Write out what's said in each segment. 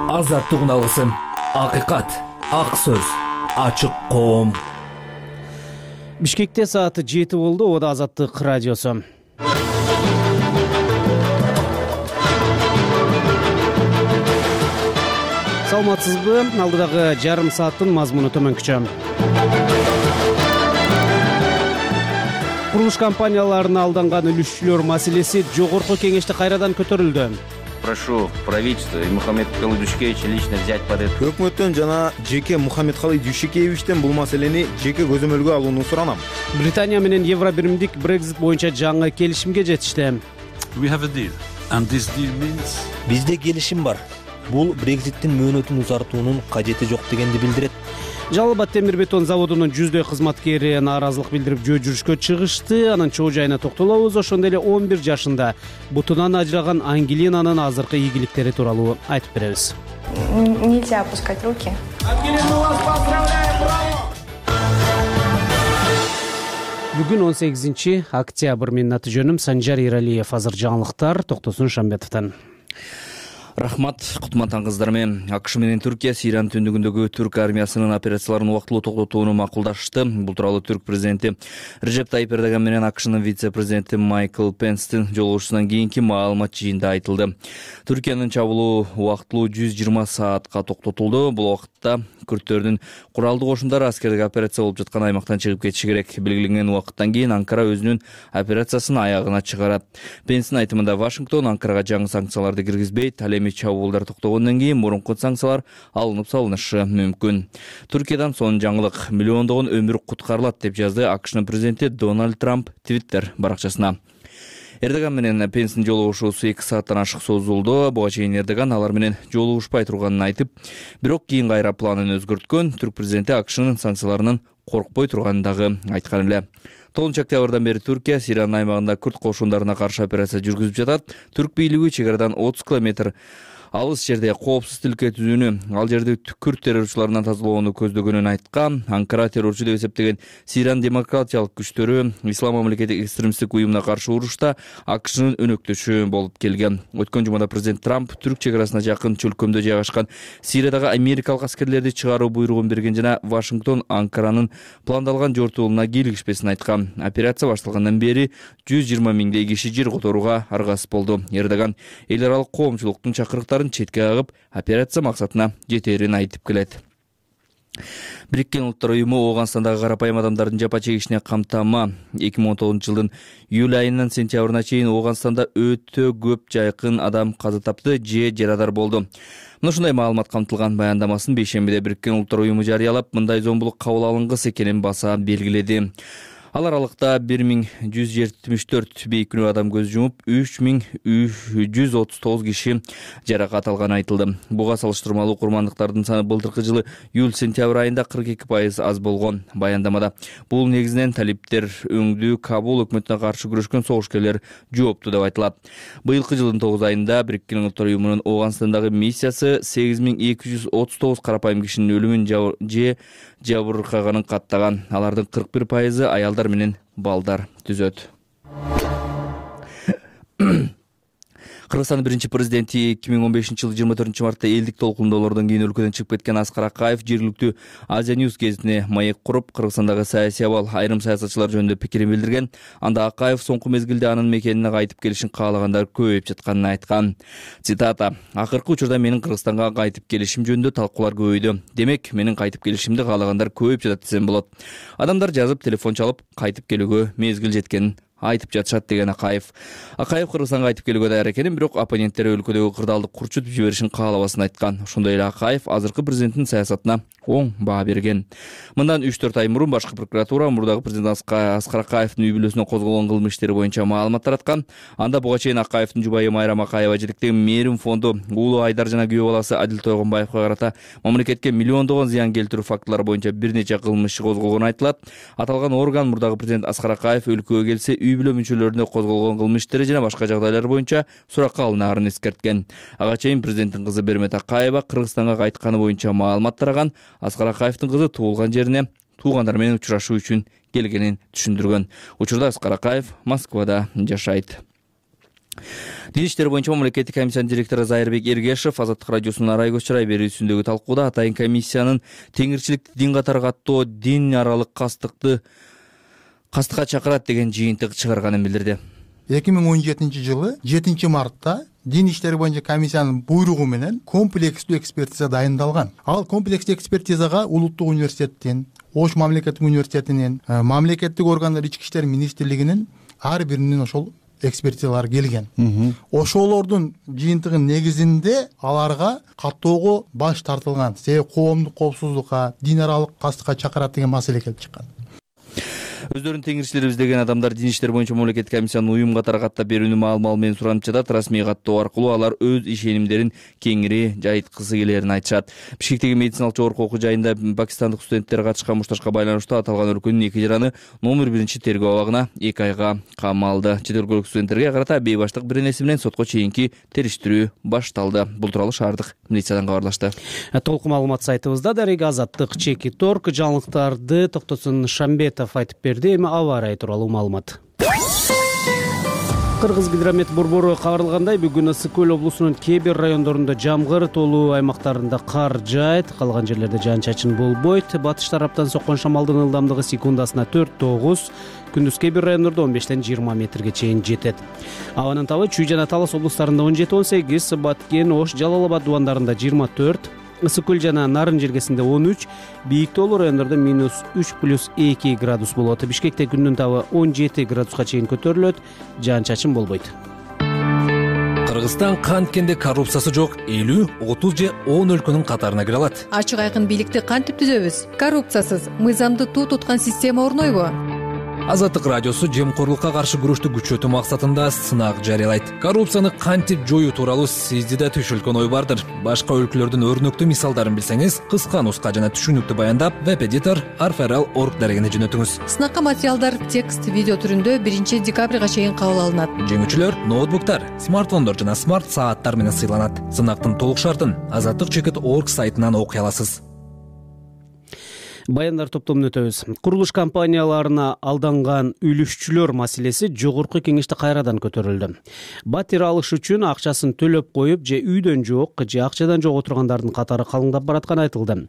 Азаттык алгысым, акыйкат, ак сөз, ачык коом. Бишкекте сааты 7 болду. Ода Азаттык радиосу. Саламатсызбы? Алдыдагы жарым сааттын мазмуну төмөнкүчө. Курулуш компанияларына алданган үлүшчүлөр маселеси жогорку кеңеште кайрадан көтөрүлдү. Прошу правительство и Мухаммедкалый Дюшкевича лично взять под это. Өкмөттөн жана жеке Мухаммедкалый Дюшкевичтен бул маселени жеке көзөмөлгө алууну суранам. Британия менен Евробиримдик Brexit боюнча жаңы келишимге жетишти. We have a deal, and this deal means Бизде келишим бар. Бул Brexit'тин мөөнөтүн узартуунун кажети жок дегенди билдирет. Жалал Абад темир бетон заводунун 100 кызматкери нааразылык билдирип жөө жүрүшкө чыгышты. Анын чоо жайына токтолобуз. Ошондой эле 11 жашында бутунан ажыраган Ангелинанын азыркы ийгиликтери тууралуу айтып беребиз. Нельзя опускать руки. Бүгүн 18 октябрь. Менин аты жөнүм Санжар Иралиев. Азыр жаңылыктар Токтосун Шамбетовдон. Рахмат, кутман кыздар мен. АКШ менен Түркия Сириянын түндүгүндөгү түрк армиясынын операцияларын убактылуу токтотууну макулдашты. Бул тууралуу түрк президенти Режеп Тайип Эрдоган менен АКШнын вице-президенти Майкл Пенстин жолугушуусунан кийинки маалымат жыйында айтылды. Түркиянын чабуулу убактылуу 120 саатка токтотулду. Бул убакытта күрттөрдүн куралдуу кошундары аскердик операция болуп жаткан аймактан чыгып кетиши керек. Белгиленген убакыттан кийин Анкара өзүнүн операциясын аягына чыгарат. Пенстин айтымында Вашингтон Анкарага жаңы санкцияларды киргизбейт. Ал эми чабуулдар токтогондон кийин мурунку санкциялар алынып салынышы мүмкүн. Түркиядан сонун жаңылык, миллиондогон өмүр куткарылат деп жазды АКШнын президенти Дональд Трамп Твиттер баракчасына. Эрдоган менен Пенстин жолугушуусу 2 сааттан ашык созулду. Буга чейин Эрдоган алар менен жолугушпай турганын айтып, бирок кийин кайра планын өзгөрткөн. Түрк президенти АКШнын санкцияларынан коркпой турганын дагы айткан эле. 9 октябрдан бери Түркия Сириянын аймагында күрт кошундарына каршы операция жүргүзүп жатат. Түрк бийлиги чегарадан 30 километр алыс жерде коопсуз тилке түзүүнү, ал жерди күрт террорчуларынан тазалоону көздөгөнүн айткан. Анкара террорчу деп эсептеген Сириян демократиялык күчтөрү Ислам мамлекеттик экстремисттик уюмуна каршы урушта АКШнын өнөктөшү болуп келген. Өткөн жумада президент Трамп Түрк чегарасына жакын чөлкөмдө жайгашкан Сириядагы америкалык аскерлерди чыгаруу буйругун берген жана Вашингтон Анкаранын пландалган жортуулуна кийлигишпесин айткан. Операция башталгандан бери 120 миңдей киши жер которууга аргасыз болду. Эрдоган эл аралык коомчулуктун чакырыктарын четке кагып, операция максатына жетерин айтып келет. Бириккен Улуттар уюму Ооганстандагы карапайым адамдардын жапа чегишине камтама 2019 жылдын июль айынан сентябрына чейин Ооганстанда өтө көп жайкын адам каза тапты же жарадар болду. Мына ушундай маалымат камтылган баяндамасын бейшембиде Бириккен Улуттар уюму жарыялап, мындай зомбулук кабыл алынгысы экенин баса белгиледи. Ал аралыкта 1174 бейкүнөө адам көз жумуп, 3139 киши жаракат алганы айтылды. Буга салыштырмалуу курмандыктардын саны былтыркы жылы июль-сентябрь айында 42% аз болгон. Баяндамада бул негизинен талиптер өңдүү Кабул өкмөтүнө каршы күрөшкөн согушкерлер жоопту деп айтылат. Быйылкы жылдын 9 айында Бириккен Улуттар уюмунун Ооганстандагы миссиясы 8239 карапайым кишинин өлүмүн же жабыркаганын каттаган. Алардын 41% аялдар менен балдар түзөт. Кыргызстандын биринчи президенти 2015-жылы 24-мартта элдик толкундоолордон кийин өлкөдөн чыгып кеткен Аскар Акаев жергиликтүү Азия News гезитине маек куруп, Кыргызстандагы саясий абал, айрым саясатчылар жөнүндө пикирин билдирген. Анда Акаев соңку мезгилде анын мекенине кайтып келишин каалагандар көбөйүп жатканын айткан. Цитата: "Акыркы учурда менин Кыргызстанга кайтып келишим жөнүндө талкуулар көбөйдү. Демек, менин кайтып келишимди каалагандар көбөйүп жатат десем болот. Адамдар жазып, телефон чалып, кайтып келүүгө мезгил жеткенин айтып жатышат" деген Акаев. Акаев Кыргызстанга кайтып келүүгө даяр экенин, бирок оппоненттери өлкөдөгү кырдаалды курчутуп жиберишин каалабасын айткан. Ошондой эле Акаев азыркы президенттин саясатына оң баа берген. Мындан 3-4 ай мурун башкы прокуратура мурдагы президент Аскар Акаевдин үй бүлөсүнө козголгон кылмыш иштери боюнча маалымат тараткан. Анда буга чейин Акаевдин жубайы Майрам Акаева жетектеген Мээрим фонду уулу Айдар жана күйөө баласы Адил Тойгонбаевга карата мамлекетке миллиондогон зыян келтирүү фактылары боюнча бир нече кылмыш козголгону айтылат. Аталган орган мурдагы президент Аскар Акаев өлкөгө келсе үй бүлө мүчөлөрүнө козголгон кылмыш иштери жана башка жагдайлар боюнча суракка алынаарын эскерткен. Ага чейин президенттин кызы Бермет Акаева Кыргызстанга кайтканы боюнча маалымат тараган. Аскар Акаевдин кызы туулган жерине туугандар менен учурашуу үчүн келгенин түшүндүргөн. Учурда Аскар Акаев Москвада жашайт. Дин иштери боюнча мамлекеттик комиссиянын директору Зайырбек Эргешев Азаттык радиосунун Арай көчүрай берүүсүндөгү талкууда атайын комиссиянын теңирчиликти дин катары каттоо, дин аралык кастыкка чакырат деген жыйынтык чыгарганын билдирди. 2017 жылы 7 мартта дин иштери боюнча комиссиянын буйругу менен комплекстүү экспертиза дайындалган. Ал комплекстүү экспертизага Улуттук университеттин, Ош мамлекеттик университетинин, мамлекеттик органдар ички иштер министрлигинин ар биринин ошол экспертизалар келген. Ошолордун жыйынтыгынын негизинде аларга каттоого баш тартылган. Себеби коомдук коопсуздукка, дин аралык кастыкка чакырат деген маселе келип чыккан. Өздөрүн теңирчилер издеген адамдар дин иштери боюнча мамлекеттик комиссиянын уюм катары каттап берүүнү маал менен суранып жатат. Расмий каттоо аркылуу алар өз ишенимдерин кеңири жайыткысы келерин айтышат. Бишкектеги медициналык жогорку окуу жайында пакистандык студенттер катышкан мушташка байланыштуу аталган өлкөнүн 2 жараны номер 1 тергөө абагына 2 айга камалды. Чет өлкөлүк студенттерге карата бейбаштык беренеси менен сотко чейинки териштирүү башталды. Бул тууралуу шаардык милициядан кабарлашты. Толук маалымат сайтыбызда. Дарега Азаттык чеки торг жаңылыктарды Токтосун Шамбетов айтып берди. Эми аба ырайы тууралуу маалымат. Кыргыз гидромет борбору кабарлагандай, бүгүн Ысык Көл облусунун кээ бир райондорунда жамгыр, тоолуу аймактарында кар жаайт, калган жерлерде жаан-чачын болбойт. Батыш тараптан соккон шамалдын ылдамдыгы секундасына 4-9, күндүз кээ бир райондордо 15-20 метрге чейин жетет. Абанын табы Чүй жана Талас облустарында 17-18, Баткен, Ош, Жалал-Абад дубандарында 24, Ысык Көл жана Нарын жергесинде 13, бийик тоолуу райондордо -3+2 градус болот. Бишкекте күндүн табы 17 градуска чейин көтөрүлөт, жаан-чачын болбойт. Кыргызстан канткенде коррупциясы жок 50, 30 же 10 өлкөнүн катарына кире алат. Ачык айкын бийликти кантип түзөбүз? Коррупциясыз, мыйзамды туу туткан система орнойбу? Азаттык радиосу жемкорлукка каршы күрөштү күчөтүү максатында сынак жарыялайт. Коррупцияны кантип жоюу тууралуу сизди да түшүлгөн ой бардыр. Башка өлкөлөрдүн өрнөктүү мисалдарын билсеңиз, кыска нуска жана түшүнүктүү баяндап веб-эдитор arferal.org дарегине жөнөтүңүз. Сынакка материалдар текст, видео түрүндө 1 декабрга чейин кабыл алынат. Жеңүүчүлөр ноутбуктар, смартфондор жана смарт сааттар менен сыйланат. Сынактын толук шартын azattik.org сайтынан окуй аласыз. Баяндар топтомун өтөбүз. Курулуш компанияларына алданган үлүшчүлөр маселеси жогорку кеңеште кайрадан көтөрүлдү. Батир алыш үчүн акчасын төлөп коюп, же үйдөн жок, же акчадан жок отургандардын катары калыңдап баратканы айтылды.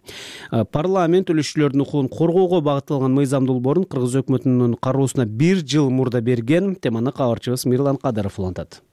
Парламент үлүшчүлөрдүн укугун коргоого багытталган мыйзам долбоорун Кыргыз өкмөтүнүн кароосуна 1 жыл мурда берген. Теманы кабарчыбыз Мирлан Кадыров улантат.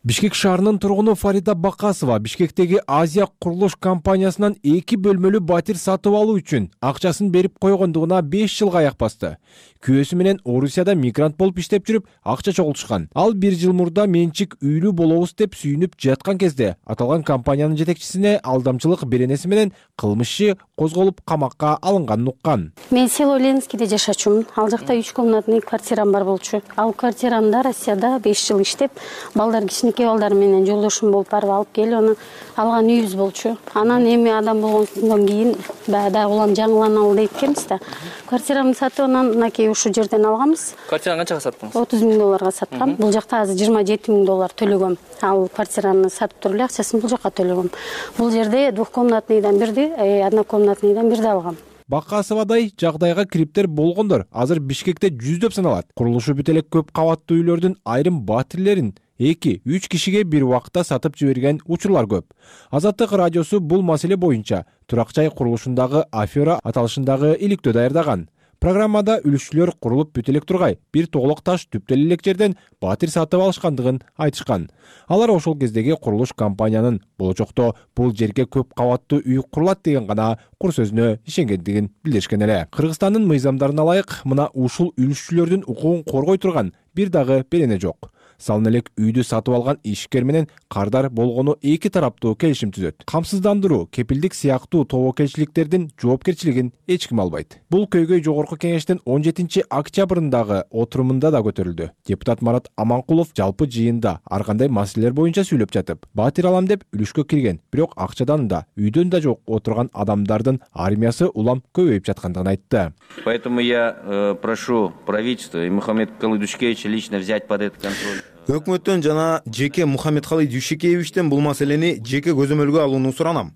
Бишкек шаарынын тургуну Фарида Бакасова Бишкектеги Азия курулуш компаниясынан 2 бөлмөлүү батир сатып алуу үчүн акчасын берип койгондугуна 5 жылга аяк басты. Күйөөсү менен Орусияда мигрант болуп иштеп жүрүп, акча чогултушкан. Ал 1 жыл мурда менчик үйлүү болобуз деп сүйүнүп жаткан кезде аталган компаниянын жетекчисине алдамчылык беренеси менен кылмышчы козголуп камакка алынганын уккан. Мен село Ленскийде жашачумун. Ал жакта 3 комнатный квартирам бар болчу. Ал квартирамда Россияда 5 жыл иштеп, балдар кичинекей балдар менен жолдошум болуп барып алып келип, аны алган үйүбүз болчу. Анан эми адам болгондон кийин дагы улам жаңыланалы деп экенбиз да. Квартирамды сатып анан мынакей ушу жерден алганбыз. Квартираны канчага саттыңыз? $30,000 саткам. Бул жакта азыр $27,000 төлөгөм. Ал квартираны сатып туруп эле акчасын бул жакка төлөгөм. Бул жерде двухкомнатныйдан бирди, однокомнатныйдан бирди алгам. Бакасовадай жагдайга кириптер болгондор азыр Бишкекте жүздөп саналат. Курулушу бүт эле көп кабаттуу үйлөрдүн айрым батирлерин 2-3 кишиге бир убакта сатып жиберген учурлар көп. Азаттык радиосу бул маселе боюнча Турак жай курулушундагы афера аталышындагы иликтөө даярдаган. Программада үлүшчүлөр курулуп бүт элек тургай бир тоголок таш түптөл элек жерден батир сатып алышкандыгын айтышкан. Алар ошол кездеги курулуш компаниянын болочокто бул жерге көп кабаттуу үй курулат деген гана кур сөзүнө ишенгендигин билдиришкен эле. Кыргызстандын мыйзамдарына ылайык мына ушул үлүшчүлөрдүн укугун коргой турган бир дагы берене жок. Салын элек үйдү сатып алган ишкер менен кардар болгону 2 тараптуу келишим түзөт. Камсыздандыруу, кепилдик сыяктуу тобокелчиликтердин жоопкерчилигин эч ким албайт. Бул көйгөй жогорку кеңештин 17 октябрындагы отурумунда да көтөрүлдү. Депутат Марат Аманкулов жалпы жыйында ар кандай маселелер боюнча сүйлөп жатып, батир алам деп үлүшкө кирген, бирок акчадан да, үйдөн да жок отурган адамдардын армиясы улам көбөйүп жаткандыгын айтты. Поэтому я прошу правительство и Мухаммед Калый Дюшкевича лично взять под этот контроль. Өкмөттөн жана жеке Мухаммедкалый Дүйшекеевичтен бул маселени жеке көзөмөлгө алууну суранам.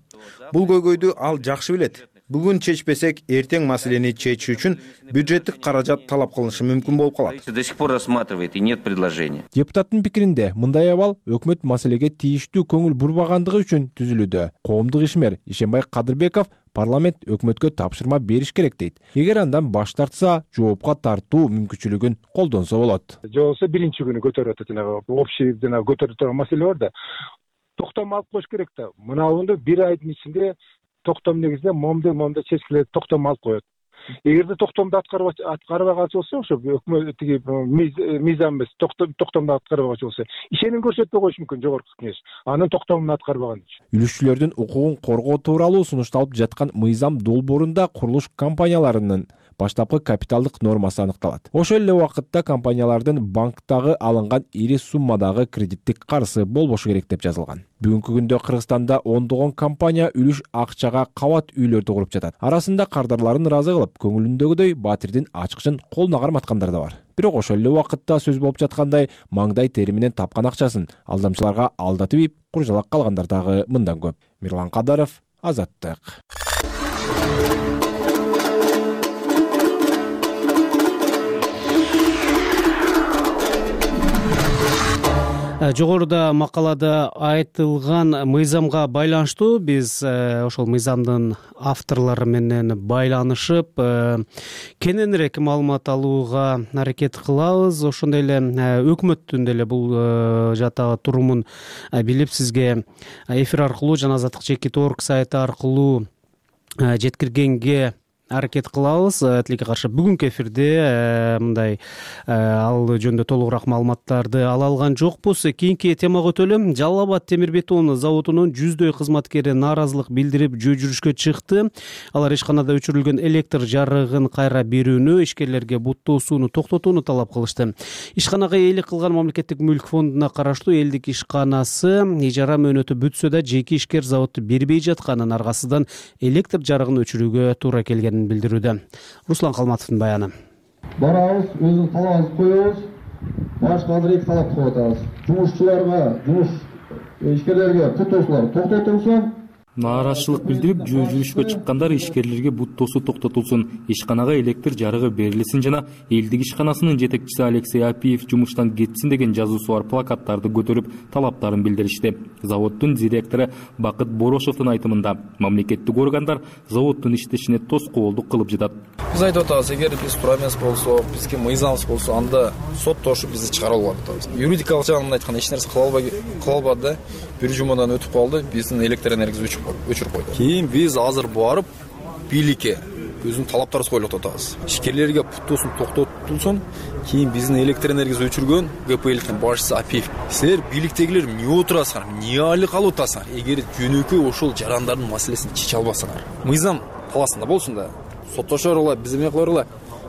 Бул көйгөйдү ал жакшы билет. Бүгүн чечпесек, эртең маселени чечүү үчүн бюджеттик каражат талап кылынышы мүмкүн болуп калат. До сих пор рассматривает и нет предложения. Депутаттын пикиринде мындай абал өкмөт маселеге тийиштүү көңүл бурбагандыгы үчүн түзүлүүдө. Коомдук ишмер Ишенбай Кадырбеков парламент өкмөткө тапшырма бериш керек дейт. Эгер андан баш тартса, жоопко тартуу мүмкүнчүлүгүн колдонсо болот. Же болбосо биринчи күнү көтөрүп атат, жанагы общий көтөрүп турган маселе бар да. Токтом алып коюш керек да. Мынауну бир айдын ичинде токтом негизинде момду чечкилер токтом алып коет. Эгерде токтомду аткарбагачы болсо, ошо өкмөт мыйзам эмес, токтомду аткарбагачы болсо, ишеним көрсөтпөй коюш мүмкүн жогорку кеңеш. Анын токтомун аткарбаган үчүн. Үлүшчүлөрдүн укугун коргоо тууралуу сунушталып жаткан мыйзам долбоорунда курулуш компанияларынын баштапкы капиталдык нормасы аныкталат. Ошол эле убакытта компаниялардын банктагы алынган ири суммадагы кредиттик карызы болбошу керек деп жазылган. Бүгүнкү күндө Кыргызстанда ондогон компания үлүш акчага кабат үйлөрдү куруп жатат. Арасында кардарларын ыраазы кылып, көңүлүндөгүдөй батирдин ачкычын колуна карматкандар да бар. Бирок ошол эле убакытта сөз болуп жаткандай, маңдай тери менен тапкан акчасын алдамчыларга алдатып ийип, куржалак калгандар дагы мындан көп. Мирлан Кадаров, Азаттык. Жогоруда макалада айтылган мыйзамга байланыштуу биз ошол мыйзамдын авторлору менен байланышып, кененирээк маалымат алууга аракет кылабыз. Ошондой эле өкмөттүн деле бул жактагы турумун билип, сизге эфир аркылуу жана Азаттык Чекит.org сайты аркылуу жеткиргенге аракет кылабыз. Тилекке каршы бүгүнкү эфирде мындай ал жөнүндө толугураак маалыматтарды ала алган жокпуз. Кийинки темага өтөлүм. Жалал Абад темир бетон заводунун 100дөй кызматкери нааразылык билдирип жөө жүрүшкө чыкты. Алар ишканада өчүрүлгөн электр жарыгын кайра берүүнү, ишкерлерге буттуу сууну токтотууну талап кылышты. Ишканага ээлик кылган мамлекеттик мүлк фондуна караштуу элдик ишканасы ижара мөөнөтү бүтсө да жеке ишкер заводду бербей жатканын аргасынан электр жарыгын өчүрүүгө туура келгенин билдирүүдө. Руслан Калматовдун баяны. Барабыз, өзүн талабыбызды коебуз. Башка азыр эки талап коюп атабыз. Жумушчуларга, ишкерлерге буттоосулар токтотулсун. Нааразычылык билдирип жөө жүрүшкө чыккандар ишкерлерге буттоосу токтотулсун, ишканага электр жарыгы берилсин жана элдик ишканасынын жетекчиси Алексей Апиев жумуштан кетсин деген жазуусу бар плакаттарды көтөрүп талаптарын билдиришти. Заводдун директору Бакыт Борошовдун айтымында, мамлекеттик органдар заводдун иштешине тоскоолдук кылып жатат. Биз айтып атабыз, эгер биз туура эмес болсо, бизге мыйзамыбыз болсо, анда соттошуп бизди чыгарып алып атабыз. Юридикалык жагынан айтканда эч нерсе кыла албады да, бир жумадан өтүп калды, биздин электр энергиябыз өчүрүп койду. Кийин биз азыр барып бийликке өзүнүн талаптарыбызды коюп атабыз. Ишкерлерге буттоосун токтотулсун. Кийин биздин электр энергиясы өчүргөн ГПЛдин башчысы Апиев. Силер бийликтегилер эмне отурасыңар, эмне али калып атасыңар? Эгер жөнөкөй ошол жарандардын маселесин чече албасаңар, мыйзам таласында болсун да, соттошор эле, биз эме кылар эле.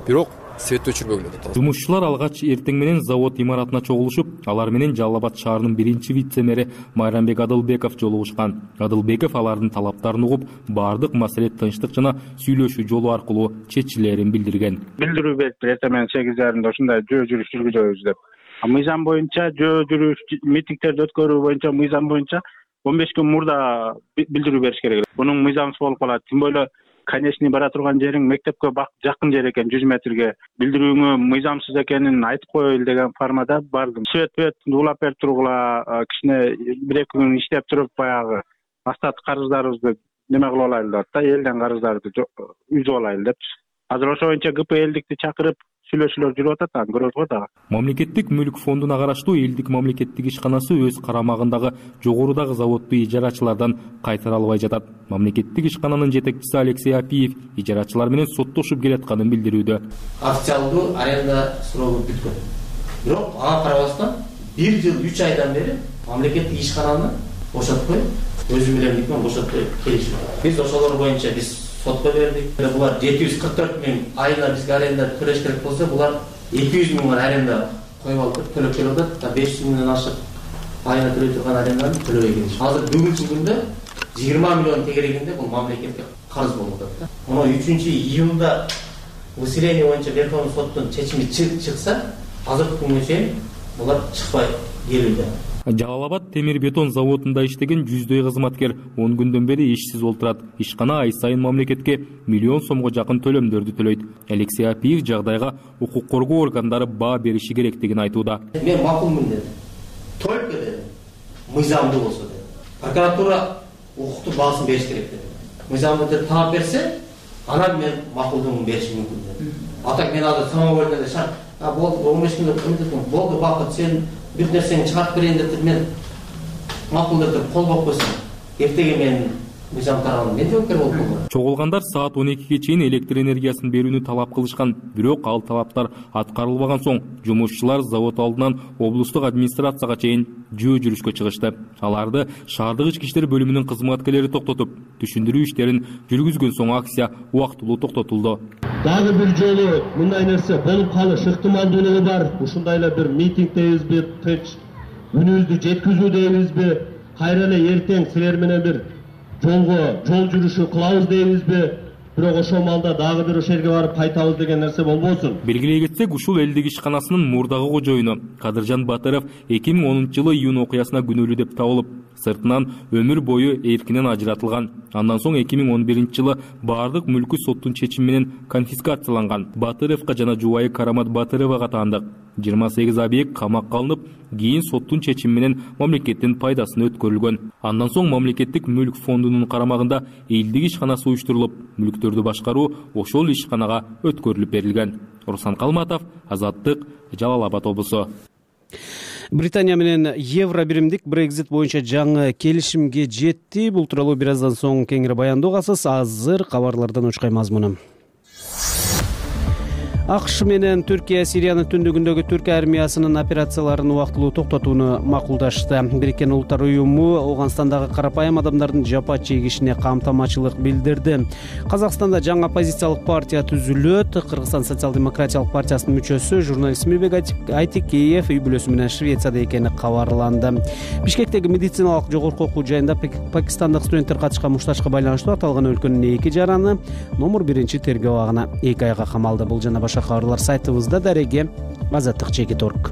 Бирок светти өчүрбөгүлө атабыз. Жумушчулар алгач эртең менен завод имаратына чогулушуп, алар менен Жалал Абад шаарынын биринчи вице-мэри Майрамбек Адылбеков жолугушкан. Адылбеков алардын талаптарын угуп, бардык маселе тынчтык жана сүйлөшүү жолу аркылуу чечилерин билдирген. Билдирүү берип, эртең менен 8:30 ушундай жөө жүрүш жүргүзөбүз деп. Мыйзам боюнча жөө жүрүш митингдерди өткөрүү боюнча мыйзам боюнча 15 күн мурда билдирүү бериш керек. Бунун мыйзамсыз болуп калат. Тим более конечно бара турган жериң мектепке жакын жер экен, 100 метрге билдирүүңө мыйзамсыз экенин айтып коелу деген формада бардым. Свет улап берип тургула, кичине 1-2 күн иштеп туруп баягы остаток карыздарыбызды неме кылып алайлы деп да, элден карыздарды үзүп алайлы деп. Азыр ошо боюнча ГПЛдикти чакырып сүйлөшүүлөр жүрүп атат, аны көрөбүз го дагы. Мамлекеттик мүлк фондуна караштуу элдик мамлекеттик ишканасы өз карамагындагы жогорудагы заводду ижарачылардан кайтара албай жатат. Мамлекеттик ишкананын жетекчиси Алексей Апиев ижарачылар менен соттошуп келатканын билдирүүдө. Официалдуу аренда срогу бүткөн. Бирок ага карабастан 1 жыл 3 айдан бери мамлекеттик ишкананы бошотпой, өзү менен бошотпой келишип атат. Биз ошолор боюнча сотко бердик. Булар 744 миң айына бизге аренда төлөш керек болсо, булар 200 миң аренда коюп алып төлөп келип атат. 500 миңден ашык айына төлөй турган аренданы төлөбөй келишти. Азыр бүгүнкү күндө 20 миллион тегерегинде бул мамлекетке карыз болуп атат. Мына 3-июнда выселение боюнча Верховный соттун чечими чыкса, азыркы күнгө чейин булар чыкпай келүүдө. Жалал Абад темир бетон заводунда иштеген 100дөй кызматкер 10 күндөн бери ишсиз олтурат. Ишкана ай сайын мамлекетке миллион сомго жакын төлөмдөрдү төлөйт. Алексей Апиев жагдайга укук коргоо органдары баа бериши керектигин айтууда. Мен макулмун дедим. Только дедим. Мыйзамдуу болсо дедим. Прокуратура укуктук баасын бериш керек дедим. Мыйзамдуу деп таап берсе, анан мен макулдугун беришим мүмкүн дедим. Атак мен азыр самооборотко шарт, болду 15 күндө кымдыкым, болду бакыт сен бир нерсени чыгарып берейин деп мен макулдатып кол коюп койсом, эртеге мен мыйзам тарабынан мен жоопкер болуп калам. Чогулгандар саат 12ге чейин электр энергиясын берүүнү талап кылышкан, бирок ал талаптар аткарылбаган соң жумушчулар завод алдынан облустук администрацияга чейин жөө жүрүшкө чыгышты. Аларды шаардык ички иштер бөлүмүнүн кызматкерлери токтотуп, түшүндүрүү иштерин жүргүзгөн соң акция убактылуу токтотулду. Дагы бир жолу мындай нерсе болуп калыш ыктымалдуулугу бар. Ушундай эле бир митинг дейбизби, тынч үнүбүздү жеткизүү дейбизби, кайра эле эртең силер менен бир жол жүрүшү кылабыз дейбизби, бирок ошол маалда дагы бир ошол жерге барып кайтабыз деген нерсе болбосун. Белгилей кетсек, ушул элдик ишканасынын мурдагы кожоюну Кадыржан Батыров 2010-жылы июнь окуясына күнөөлүү деп табылып, сыртынан өмүр бою эркинен ажыратылган. Андан соң 2011-жылы баардык мүлкү соттун чечими менен конфискацияланган. Батыровго жана жубайы Карамат Батыровага таандык. 28 объект камакка алынып, кийин соттун чечими менен мамлекеттин пайдасына өткөрүлгөн. Андан соң мамлекеттик мүлк фондунун карамагында элдик ишканасы уюштурулуп, мүлктөрдү башкаруу ошол ишканага өткөрүлүп берилген. Руслан Калматов, Азаттык, Жалал Абад облусу. Британия менен евро биримдик Brexit боюнча жаңы келишимге жетти. Бул тууралуу бир аздан соң кеңири баяндоосуз. Азыр кабарлардан учкай мазмуну. АКШ менен Түркия Сириянын түндүгүндөгү түрк армиясынын операцияларын убактылуу токтотууну макулдашты. Бириккен Улуттар уюму Ооганстандагы карапайым адамдардын жапа чегишине камтамачылык билдирди. Казакстанда жаңы оппозициялык партия түзүлөт. Кыргызстан социал-демократиялык партиясынын мүчөсү журналист Мирбек Айтикеев үй бүлөсү менен Швецияда экени кабарланды. Бишкектеги медициналык жогорку окуу жайында пакистандык студенттер катышкан мушташка байланыштуу аталган өлкөнүн 2 жараны номер 1 тергөө абагына 2 айга камалды. Бул жана башка кабарлар сайтыбызда. Дареге Азаттык.org.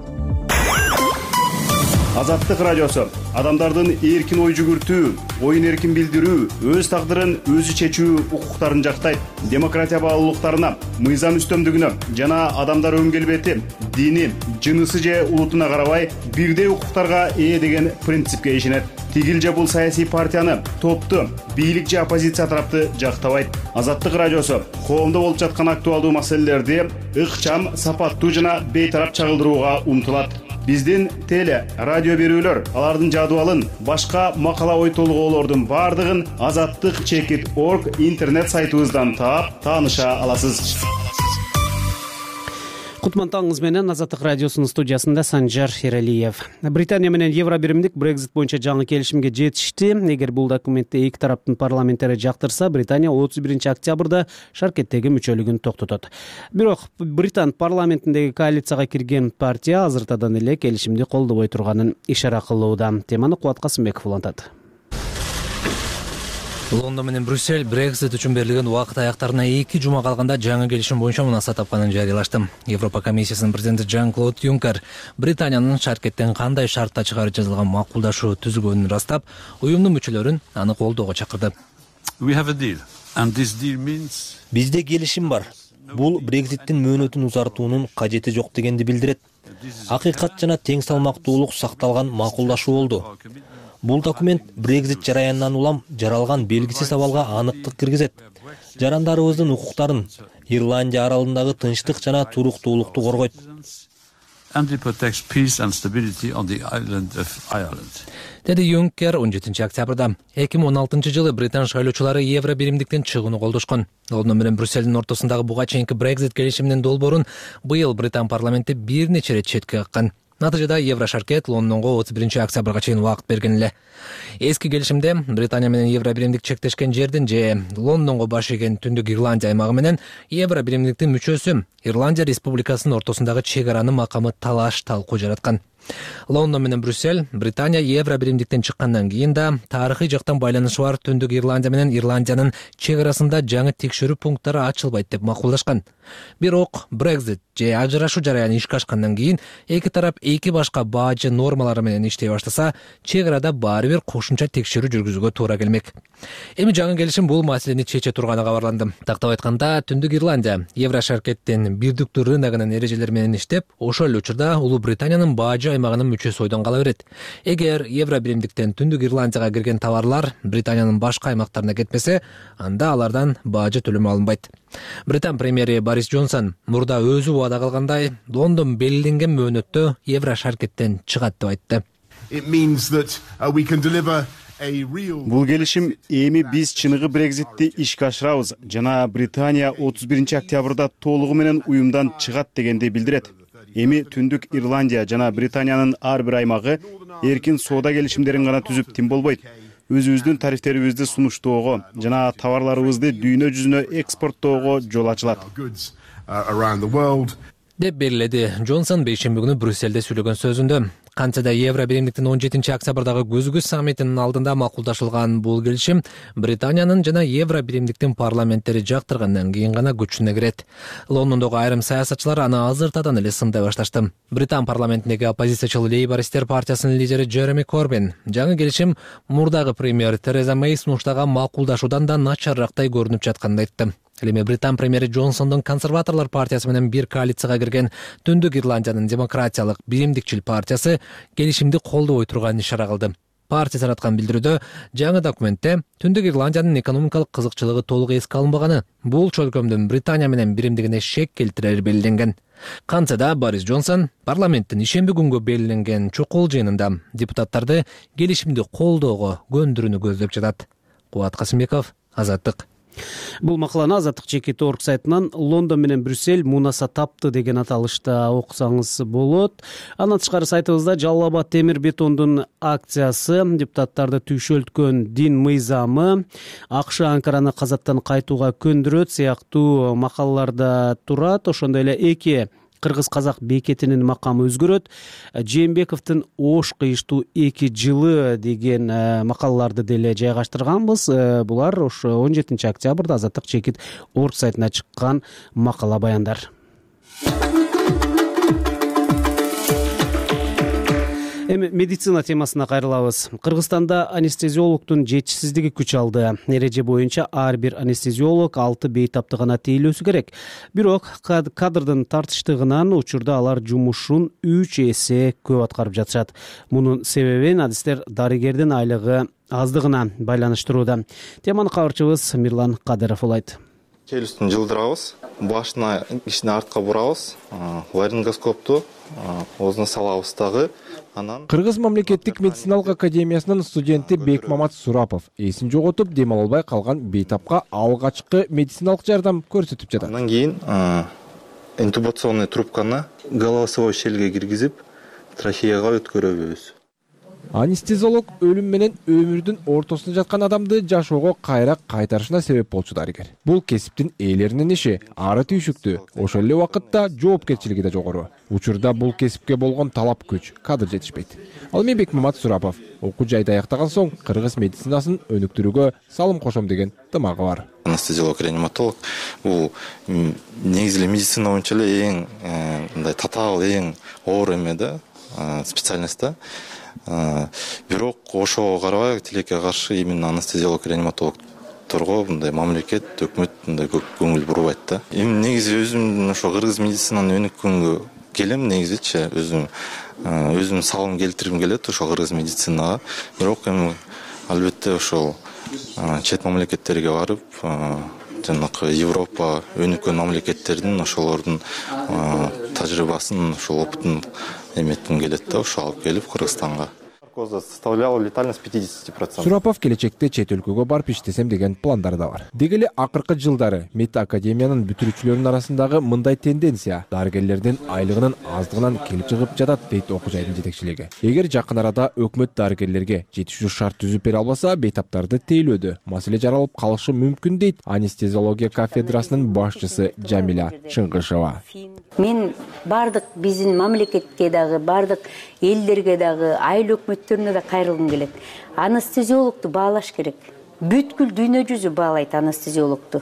Азаттык радиосу адамдардын эркин ой жүгүртүү, оюн эркин билдирүү, өз тагдырын өзү чечүү укуктарын жактайт. Демократия баалуулуктарына, мыйзам үстөмдүгүнө жана адамдар өн келбети, дини, жынысы же улутуна карабай бирдей укуктарга ээ деген принципке ишенет. Тигил же бул саясий партияны, топту, бийлик же оппозиция тарапты жактабайт. Азаттык радиосу коомдо болуп жаткан актуалдуу маселелерди ыкчам, сапаттуу жана бейтарап чагылдырууга умтулат. Биздин теле, радио берүүлөр, алардын жадыбалын, башка макала ой толгоолордун бардыгын Azattik.org интернет сайтыбыздан таап, тааныша аласыз. Кутман таңыңыз менен Азаттык радиосунун студиясында Санжар Эралиев. Британия менен евро биримдик Brexit боюнча жаңы келишимге жетишти. Эгер бул документти эки тараптын парламенттери жактырса, Британия 31-октябрда шаркеттеги мүчөлүгүн токтотот. Бирок Британ парламентиндеги коалицияга кирген партия азыртадан эле келишимди колдобой турганын ишара кылууда. Теманы Кубат Касымбеков улантат. Лондон менен Брюссель Brexit үчүн берилген убакыт аяктарына 2 жума калганда жаңы келишим боюнча мунасат тапканын жарыялашты. Европа комиссиясынын президенти Жан-Клод Юнкер Британиянын шаркеттен кандай шартта чыгарып жазылган макулдашуу түзгөнүн ырастап, уюмдун мүчөлөрүн аны колдоого чакырды. Бизде келишим бар. Бул Brexit'тин мөөнөтүн узартуунун кажети жок дегенди билдирет. Акыйкат жана тең салмактуулук сакталган макулдашуу болду. Бул документ Brexit жараянынан улам жаралган белгисиз абалга аныктык киргизет. Жарандарыбыздын укуктарын, Ирландия аралындагы тынчтык жана туруктуулукту коргойт. Деди Юнкер 17-октябрда 2016-жылы британ шайлоочулары евро биримдиктен чыгууну колдошкон. Лондон менен Брюссельдин ортосундагы буга чейинки Brexit келишиминин долбоорун быйыл британ парламенти бир нече рет четке каккан. Натыйжада евро шаркет Лондонго 31-октябрга чейин убакыт берген эле. Эски келишимде Британия менен евро биримдик чектешкен жердин же Лондонго баш ийген Түндүк Ирландия аймагы менен евро биримдиктин мүчөсү Ирландия республикасынын ортосундагы чек аранын макамы талаш талкуу жараткан. Лондон менен Брюссель Британия Евро биримдиктен чыккандан кийин да тарыхый жактан байланышы бар Түндүк Ирландия менен Ирландиянын чек арасында жаңы текшерүү пункттары ачылбайт деп макулдашкан. Бирок Brexit же ажырашуу жараяны ишке ашкандан кийин эки тарап эки башка бажы нормалары менен иштей баштаса, чек арада баары бир кошумча текшерүү жүргүзүүгө туура келмек. Эми жаңы келишим бул маселени чече турганы кабарланды. Тактап айтканда, Түндүк Ирландия Евро шаркеттин бирдиктүү рыногунун эрежелери менен иштеп, ошол эле учурда Улуу Британиянын бажы аймагынын мүчөсү ойдон кала берет. Эгер Евро биримдиктен Түндүк Ирландияга кирген товарлар Британиянын башка аймактарына кетпесе, анда алардан бажы төлөмү алынбайт. Британ премьери Борис Джонсон мурда өзү убада кылгандай, Лондон белгиленген мөөнөттө Евро шаркеттен чыгат деп айтты. Бул келишим эми биз чыныгы Брекзитти ишке ашырабыз жана Британия 31 октябрда толугу менен уюмдан чыгат дегенди билдирет. Эми Түндүк Ирландия жана Британиянын ар бир аймагы эркин соода келишимдерин гана түзүп тим болбойт. Өзүбүздүн тарифтерибизди сунуштоого жана товарларыбызды дүйнө жүзүнө экспорттоого жол ачылат деп белгиледи Джонсон бейшемби күнү Брюссельде сүйлөгөн сөзүндө. Кантсе да Евро биримдиктин 17 октябрдагы көзгүс саммитинин алдында макулдашылган бул келишим Британиянын жана Евро биримдиктин парламенттери жактыргандан кийин гана күчүнө кирет. Лондондогу айрым саясатчылар аны азыртадан эле сындай башташты. Британ парламентиндеги оппозициячыл Лейбористер партиясынын лидери Джереми Корбин жаңы келишим мурдагы премьер Тереза Мэй сунуштаган макулдашуудан да начаррактай көрүнүп жатканын айтты. Эми Британ премьери Джонсондун консерваторлор партиясы менен бир коалицияга кирген Түндүк Ирландиянын демократиялык биримдикчил партиясы келишимди колдобой турганын ишара кылды. Партия тараткан билдирүүдө жаңы документте Түндүк Ирландиянын экономикалык кызыкчылыгы толук эске алынбаганы, бул чөлкөмдүн Британия менен биримдигине шек келтирери белгиленген. Кантсе да Борис Джонсон парламенттин ишемби күнгө белгиленген чукул жыйынында депутаттарды келишимди колдоого көндүрүүнү көздөп жатат. Кубат Касымбеков, Азаттык. Бул макаланы Азаттык чекит орг сайтынан Лондон менен Брюссель мунаса тапты деген аталышта окусаңыз болот. Андан тышкары сайтыбызда Жалал Абад темир бетондун акциясы, депутаттарды түйшөлткөн дин мыйзамы, АКШ Анкараны казаттан кайтууга көндүрөт сыяктуу макалаларда турат. Ошондой эле эки кыргыз-казак бекетинин макамы өзгөрөт. Жээнбековдун Ош кыйыштуу 2 жылы деген макалаларды деле жайгаштырганбыз. Булар ошо 17 октябрда Азаттык чекит орг сайтына чыккан макала баяндар. Эми медицина темасына кайрылабыз. Кыргызстанда анестезиологдун жетишсиздиги күч алды. Эреже боюнча ар бир анестезиолог 6 бейтапты гана тейлөөсү керек. Бирок кадрдын тартыштыгынан учурда алар жумушун 3 эсе көп аткарып жатышат. Мунун себебин адистер дарыгердин айлыгы аздыгына байланыштырууда. Теманы кабарчыбыз Мирлан Кадыров улайт. Челюстүн жылдырабыз, башына кичине артка бурабыз, ларингоскопту оозуна салабыз дагы. Кыргыз мамлекеттик медициналык академиясынын студенти Бекмамат Сурапов эсин жоготуп дем ала албай калган бейтапка алгачкы медициналык жардам көрсөтүп жатат. Андан кийин интубационный трубканы голосовой щельге киргизип, трахеяга өткөрөбүз. Анестезиолог өлүм менен өмүрдүн ортосунда жаткан адамды жашоого кайра кайтарышына себеп болчу дарыгер. Бул кесиптин ээлеринин иши, ары түйшүктүү, ошол эле убакытта жоопкерчилиги да жогору. Учурда бул кесипке болгон талап күч, кадр жетишпейт. Ал эми Бекмамат Сурапов окуу жайды аяктаган соң кыргыз медицинасын өнүктүрүүгө салым кошом деген тымагы бар. Анестезиолог, реаниматолог бул негизи медицина боюнча эле эң мындай татаал, эң оор эме да, специальность да. Бирок ошого карабай тилекке каршы именно анестезиолог, реаниматологторго мындай мамлекет, өкмөт мындай көп көңүл бурбайт да. Эми негизи өзүм ошо кыргыз медицинаны өнүккөнгө келем, негизичи өзүм салым келтиргим келет ошо кыргыз медицинага. Бирок эми албетте ошол чет мамлекеттерге барып, жанакы Европа өнүккөн мамлекеттердин ошолордун тажрыйбасын, ошол опытын эметким келет да, ошо алып келип Кыргызстанга. наркоза составляла летальность 50%. Сурапов келечекте чет өлкөгө барып иштесем деген пландары да бар. Деги эле акыркы жылдары Мед академиянын бүтүрүүчүлөрүнүн арасындагы мындай тенденция дарыгерлердин айлыгынын аздыгынан келип чыгып жатат, дейт окуу жайдын жетекчилиги. Эгер жакын арада өкмөт дарыгерлерге жетиштүү шарт түзүп бере албаса, бейтаптарды тейлөөдө маселе жаралып калышы мүмкүн, дейт анестезиология кафедрасынын башчысы Жамиля Чыңгышева. Мен бардык биздин мамлекетке дагы, бардык элдерге дагы, айыл өкмөттөрүнө да кайрылгым келет. Анестезиологду баалаш керек. Бүткүл дүйнө жүзү баалайт анестезиологду.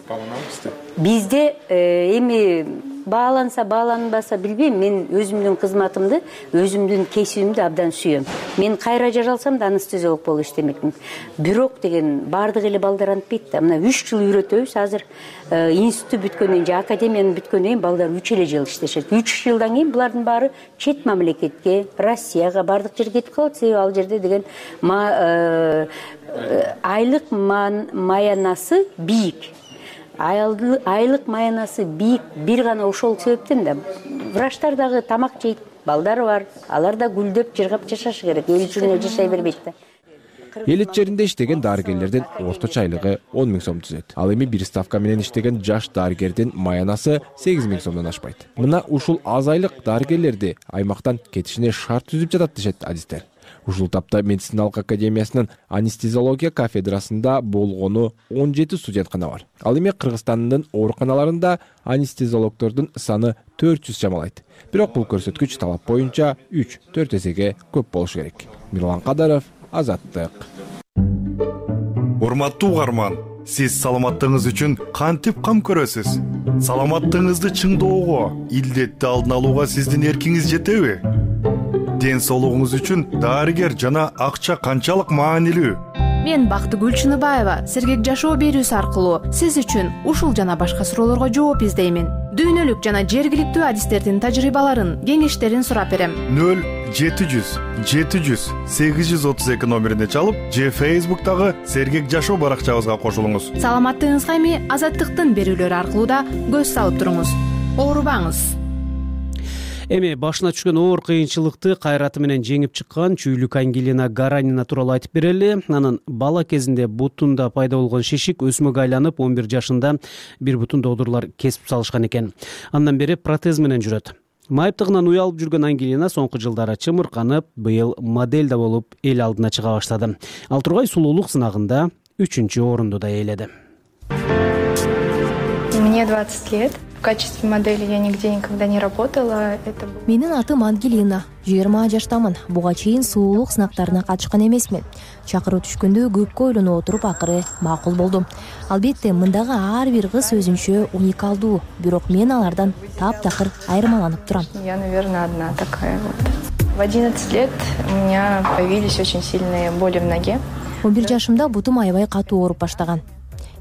Бизде эми бааланса бааланбаса билбейм, мен өзүмдүн кызматымды, өзүмдүн кесибимди абдан сүйөм. Мен кайра жаралсам да анестезиолог болуп иштемекмин. Бирок деген бардык эле балдар антпайт да. Мына 3 жыл үйрөтөбүз, азыр институт бүткөндөн кийин, академияны бүткөндөн кийин балдар 3 эле жыл иштешет. 3 жылдан кийин булардын баары чет мамлекетке, Россияга, бардык жерге кетип калат. Себеби ал жерде деген айлык маянасы бийик. Айлык маянасы бийик бир гана ошол себептен да. Врачтар дагы тамак жейт, балдары бар. Алар да гүлдөп, жыргап жашашы керек. Эл үчүн эле жашай бербейт да. Эл ичеринде иштеген дарыгерлердин орточо айлыгы 10 000 сом түзөт. Ал эми бир ставка менен иштеген жаш дарыгердин маянасы 8 000 сомдон ашпайт. Мына ушул аз айлык дарыгерлерди аймактан кетишине шарт түзүп жатат, дешет адистер. Ушул тапта медициналык академиясынын анестезиология кафедрасында болгону 17 студенткана бар. Ал эми Кыргызстандын ооруканаларында анестезиологдордун саны 400 чамалайт. Бирок бул көрсөткүч талап боюнча 3-4 эсеге көп болушу керек. Мирлан Кадаров, Азаттык. Урматтуу угарман, сиз саламаттыгыңыз үчүн кантип кам көрөсүз? Саламаттыгыңызды чыңдоого, илдетти алдын алууга сиздин эркиңиз жетеби? Ден соолугуңуз үчүн дарыгер жана акча канчалык маанилүү? Мен Бактыгүл Чыныбаева сергек жашоо берүүсү аркылуу сиз үчүн ушул жана башка суроолорго жооп издеймин. Дүйнөлүк жана жергиликтүү адистердин тажрыйбаларын, кеңештерин сурап берем. 0700 700 832 номерине чалып, же Facebook'тагы сергек жашоо баракчабызга кошулуңуз. Саламаттыгыңызга эми Азаттыктын берүүлөрү аркылуу да көз салып туруңуз. Оорубаңыз. Эми башына түшкөн оор кыйынчылыкты кайраты менен жеңип чыккан чүйлүк Ангелина Гаранина тууралуу айтып берели. Анын бала кезинде бутунда пайда болгон шишик өсмөккө айланып, 11 жашында бир бутун докторлор кесип салышкан экен. Андан бери протез менен жүрөт. Майыптыгынан уялып жүргөн Ангелина соңку жылдары чымырканып, быйыл модель да болуп эл алдына чыга баштады. Ал тургай сулуулук сынагында 3-чү орунду да ээледи. Мне 20 лет. В качестве модели я нигде никогда не работала. Менин атым Ангелина. 20 жаштамын. Буга чейин сулуулук сынактарына катышкан эмесмин. Чакыруу түшкөндө көпкө ойлонуп отуруп акыры макул болдум. Албетте, мындагы ар бир кыз өзүнчө уникалдуу, бирок мен алардан таптакыр айырмаланып турам. Я, наверное, одна такая вот. В 11 лет у меня появились очень сильные боли в ноге. 11 жашымда бутум аябай катуу ооруп баштаган.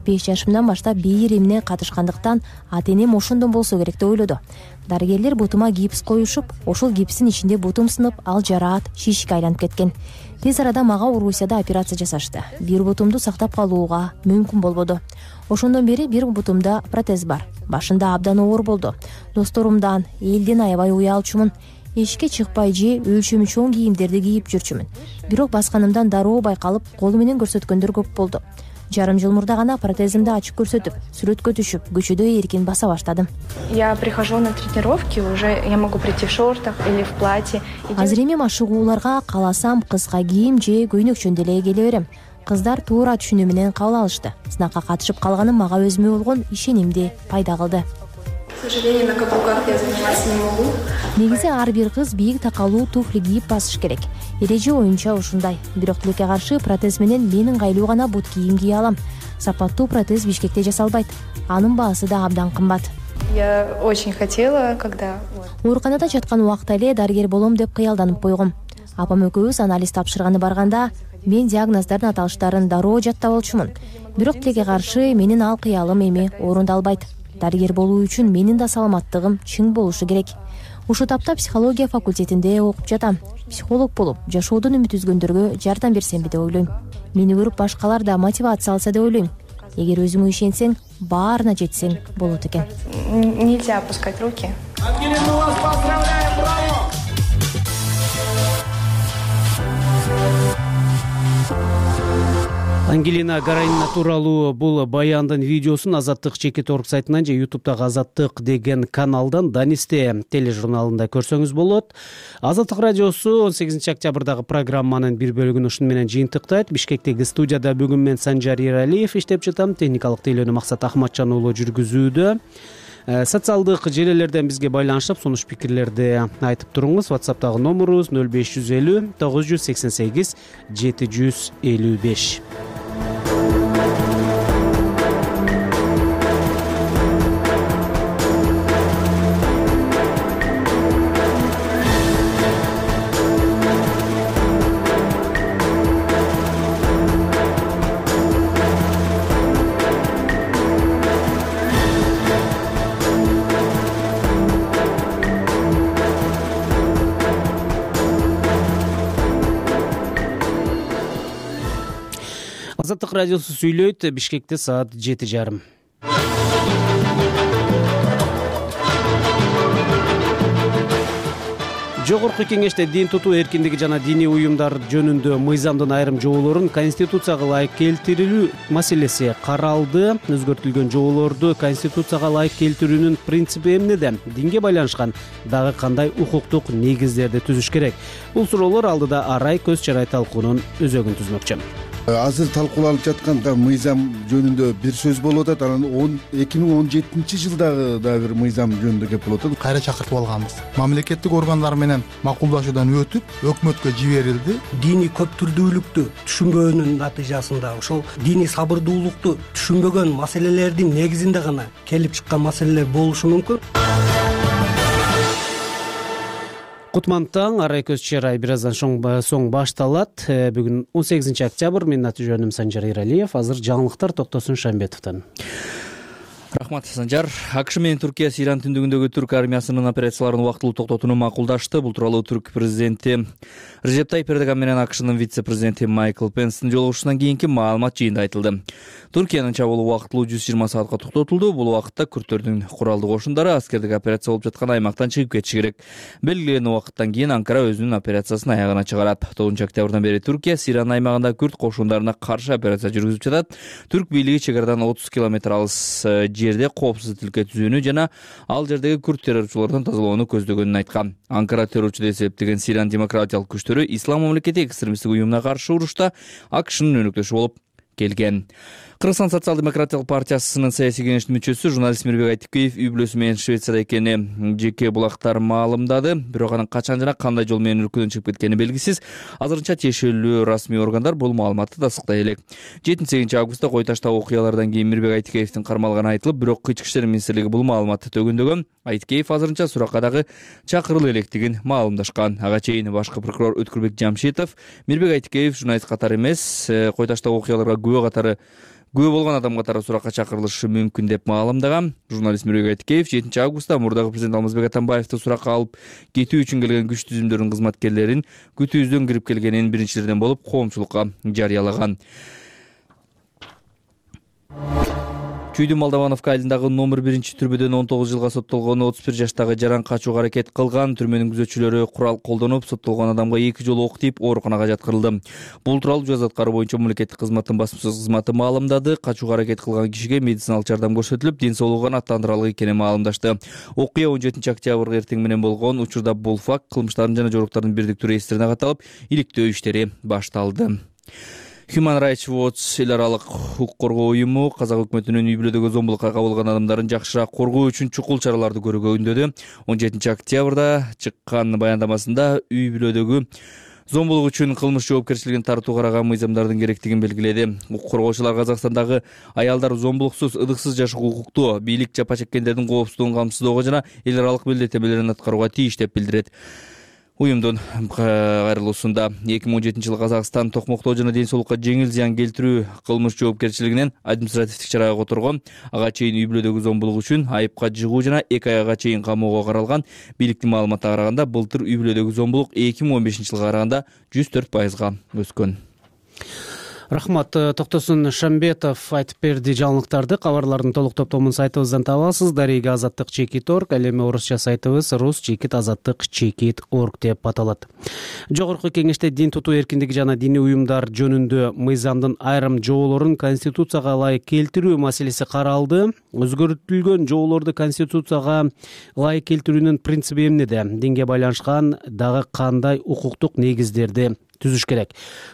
5 жашымдан баштап бийир эмне катышкандыктан ата-энем ошондон болсо керек деп ойлоду. Дарыгерлер бутума гипс коюшуп, ошол гипстин ичинде бутум сынып, ал жараат, шишикке айланып кеткен. Тез арада мага Орусияда операция жасашты. Бир бутумду сактап калууга мүмкүн болбоду. Ошондон бери бир бутумда протез бар. Башында абдан оор болду. Досторумдан, элден аябай уялчумун. Эшикке чыкпай же өлчөмү чоң кийимдерди кийип жүрчүмүн. Бирок басканымдан дароо байкалып, колу менен көрсөткөндөр көп болду. Жарым жыл мурда гана протезимди ачып көрсөтүп, сүрөткө түшүп, көчөдө эркин баса баштадым. Я прихожу на тренировки, уже я могу прийти в шортах или в платье. Азыр эми машыгууларга кааласам кыска кийим же көйнөкчөндө эле келе берем. Кыздар туура түшүнүү менен кабыл алышты. Сынакка катышып калганым мага өзүмө болгон ишенимди пайда кылды. К сожалению, на каблуках я заниматься не могу. Негизи ар бир кыз бийик такалуу туфли кийип басыш керек. Эреже оюнча ушундай. Бирок тилекке каршы протез менен мен ыңгайлуу гана бут кийим кие алам. Сапаттуу протез Бишкекте жасалбайт. Анын баасы да абдан кымбат. Я очень хотела, когда ооруканада жаткан убакта эле дарыгер болом деп кыялданып койгом. Апам экөөбүз анализ тапшырганы барганда мен диагноздордун аталыштарын дароо жаттап алчумун. Бирок тилекке каршы менин ал кыялым эми орундалбайт. Дарыгер болуу үчүн менин да саламаттыгым чың болушу керек. Ушул тапта психология факультетинде окуп жатам. Психолог болуп, жашоодон үмүт үзгөндөргө жардам берсемби деп ойлойм. Мени көрүп башкалар да мотивация алса деп ойлойм. Эгер өзүңө ишенсең, баарына жетсең болот экен. Нельзя опускать руки. Ангелина, мы вас поздравляем, браво! Ангелина Гаранина тууралуу бул баяндын видеосун Азаттык чекит орг сайтынан же YouTube'дагы Азаттык деген каналдан Данисте тележурналында көрсөңүз болот. Азаттык радиосу 18 октябрдагы программанын бир бөлүгүн ушуну менен жыйынтыктайт. Бишкектеги студияда бүгүн мен Санжар Иралиев иштеп жатам. Техникалык тейлөөнү Максат Ахматжан уулу жүргүзүүдө. Социалдык желелерден бизге байланышып, сунуш пикирлерди айтып туруңуз. WhatsApp'тагы номерубуз 0550 988 755. Азаттык радиосу сүйлөйт. Бишкекте саат 7:30. Жогорку кеңеште дин тутуу эркиндиги жана диний уюмдар жөнүндө мыйзамдын айрым жоболорун конституцияга ылайык келтирүү маселеси каралды. Өзгөртүлгөн жоболорду конституцияга ылайык келтирүүнүн принципи эмнеде? Динге байланышкан дагы кандай укуктук негиздерди түзүш керек? Бул суроолор алдыда арай көз чарай талкуунун өзөгүн түзмөкчү. Азыр талкууланып жатканда мыйзам жөнүндө бир сөз болуп атат. Анан 2017-жылдагы дагы бир мыйзам жөнүндө кеп болуп атат. Кайра чакыртып алганбыз. Мамлекеттик органдар менен макулдашуудан өтүп, өкмөткө жиберилди. Диний көп түрдүүлүктү түшүнбөөнүн натыйжасында ошол диний сабырдуулукту түшүнбөгөн маселелердин негизинде гана келип чыккан маселелер болушу мүмкүн. Кутман таң, арай көз чарай бир аздан соң башталат. Бүгүн 18 октябрь, менин аты жөнүм Санжар Иралиев. Азыр жаңылыктар Токтосун Шамбетовдон. Рахмат, Санжар. АКШ менен Түркия Сиран түндүгүндөгү түрк армиясынын операцияларын убактылуу токтотууну макулдашты. Бул тууралуу түрк президенти Режеп Тайип Эрдоган менен АКШнын вице-президенти Майкл Пенстин жолугушуунан кийинки маалымат жыйында айтылды. Туркиянын чабуулу убактылуу 120 саатка токтотулду. Бул убакытта күрттөрдүн куралдуу кошундары аскердик операция болуп жаткан аймактан чыгып кетиши керек. Белгиленген убакыттан кийин Анкара өзүнүн операциясын аягына чыгарат. 9 октябрдан бери Туркия Сиран аймагында күрт кошундарына каршы операция жүргүзүп жатат. Түрк бийлиги чегарадан 30 км алыс жерде коопсуз тилке түзүүнү жана ал жердеги күрт террорчулардан тазалоону көздөгөнүн айткан. Анкара террорчу деп эсептеген Сиран демократиялык күчтөрү Ислам мамлекети экстремисттик уюмуна каршы урушта АКШнын өнөктөшү болуп келген. Кыргызстан социал-демократиялык партиясынын саясий кеңештин мүчөсү журналист Мирбек Айтикеев үй бүлөсү менен Швецияда экени жеке булактар маалымдады. Бирок анын качан жана кандай жол менен өлкөдөн чыгып кеткени белгисиз. Азырынча тиешелүү расмий органдар бул маалыматты тастыктай элек. 7-8 августта Кой Таштагы окуялардан кийин Мирбек Айтикеевдин кармалганы айтылып, бирок Ички иштер министрлиги бул маалыматты төгүндөгөн. Айтикеев азырынча суракка дагы чакырыла электигин маалымдашкан. Ага чейин башкы прокурор Өткүлбек Жамшитов Мирбек Айтикеев журналист катары эмес, Кой Таштагы окуяларга күбө болгон адам катары суракка чакырылышы мүмкүн деп маалымдаган. Журналист Мирбек Айтикеев 7 августта мурдагы президент Алмазбек Атамбаевди суракка алып кетүү үчүн келген күч түзүмдөрүнүн кызматкерлерин күтүүбүздөн кирип келгенин биринчилерден болуп коомчулукка жарыялаган. Чүйдү Молдовановка айылындагы номер 1-түрмөдөн 19 жылга соттолгон 31 жаштагы жаран качууга аракет кылган. Түрмөнүн күзөтчүлөрү курал колдонуп соттолгон адамга 2 жолу ок тийип ооруканага жаткырылды. Бул тууралуу жаза аткаруу боюнча мамлекеттик кызматтын басмасөз кызматы маалымдады. Качууга аракет кылган кишиге медициналык жардам көрсөтүлүп, ден соолугу аттандыралык экенин маалымдашты. Окуя 17 октябрга эртең менен болгон. Учурда бул факт кылмыштардын жана жоруктардын бирдиктүү реестрине каталып, иликтөө иштери башталды. Human Rights Watch эл аралык укук коргоо уюму казак өкмөтүнүн үй бүлөдөгү зомбулукка кабылган адамдарын жакшыраак коргоо үчүн чукул чараларды көрүүгө үндөдү. 17 октябрда чыккан баяндамасында үй бүлөдөгү зомбулук үчүн кылмыш жоопкерчилигин тартуу караган мыйзамдардын керектигин белгиледи. Укук коргоочулар Казакстандагы аялдар зомбулуксуз, ыдыксыз жашоого укуктуу, бийлик жапа чеккендердин коопсуздугун камсыздоого жана эл аралык милдеттенмелерин аткарууга тийиш деп билдирет. Уюмдун кайрылуусунда 2017 жылы Казакстан токмоктоо жана ден соолукка жеңил зыян келтирүү кылмыш жоопкерчилигинен административдик чарага которгон. Ага чейин үй бүлөдөгү зомбулук үчүн айыпка жыгуу жана 2 айга чейин камоого каралган. Бийликтин маалыматына караганда былтыр үй бүлөдөгү зомбулук 2015 жылга караганда 104%га өскөн. Рахмат. Токтосун Шамбетов айтып берди жаңылыктарды. Кабарлардын толук топтомун сайтыбыздан табасыз. Дарега азаттык /org, ал эми орусча сайтыбыз rus-azаттыk/org деп аталат. Жогорку кеңеште дин тутуу эркиндиги жана диний уюмдар жөнүндө мыйзамдын айрым жоболорун конституцияга ылайык келтирүү маселеси каралды. Өзгөртүлгөн жоболорду конституцияга ылайык келтирүүнүн принциби эмнеде? Динге байланышкан дагы кандай укуктук негиздерди түзүш керек?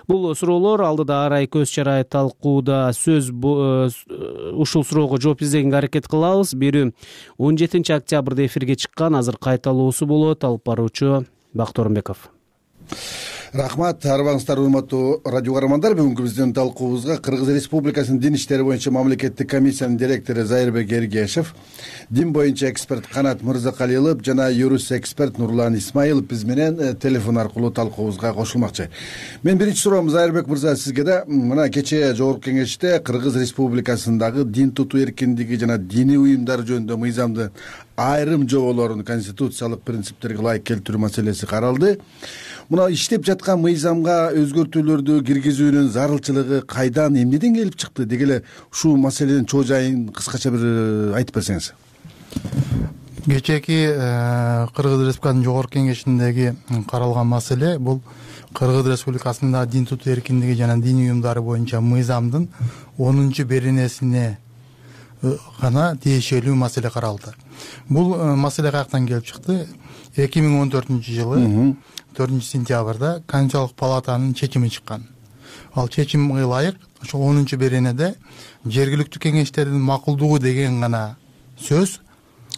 Бул суроолор алдыда арай көз чарай талкууда ушул суроого жооп издегенге аракет кылабыз. Берүү 17 октябрда эфирге чыккан, азыр кайталоосу болот. Алып баруучу Бакыт Орунбеков. Рахмат, арыбаңыздар урматтуу радио каармандар. Бүгүнкү биздин талкуубузга Кыргыз Республикасынын дин иштери боюнча мамлекеттик комиссиянын директору Зайырбек Эргешев, дин боюнча эксперт Канат Мырзакалилов жана юрист эксперт Нурлан Исмаилов биз менен телефон аркылуу талкуубузга кошулмакчы. Мен биринчи суроом Зайырбек мырза сизге да. Мына кечээ жогорку кеңеште Кыргыз Республикасындагы дин тутуу эркиндиги жана диний уюмдар жөнүндө мыйзамдын айрым жоболорун конституциялык принциптерге ылайык келтирүү маселеси каралды. Мына иштеп жаткан мыйзамга өзгөртүүлөрдү киргизүүнүн зарылчылыгы кайдан, эмнеден келип чыкты? Деги эле ушул маселенин чоо жайын кыскача бир айтып берсеңиз. Кечээки Кыргыз Республикасынын жогорку кеңешиндеги каралган маселе бул Кыргыз Республикасында дин тутуу эркиндиги жана диний уюмдары боюнча мыйзамдын 10-беренесине гана тиешелүү маселе каралды. Бул маселе каяктан келип чыкты? 2014-жылы 4-сентябрда Конституциялык палатанын чечими чыккан. Ал чечимге ылайык ошол 10-беренеде жергиликтүү кеңештердин макулдугу деген гана сөз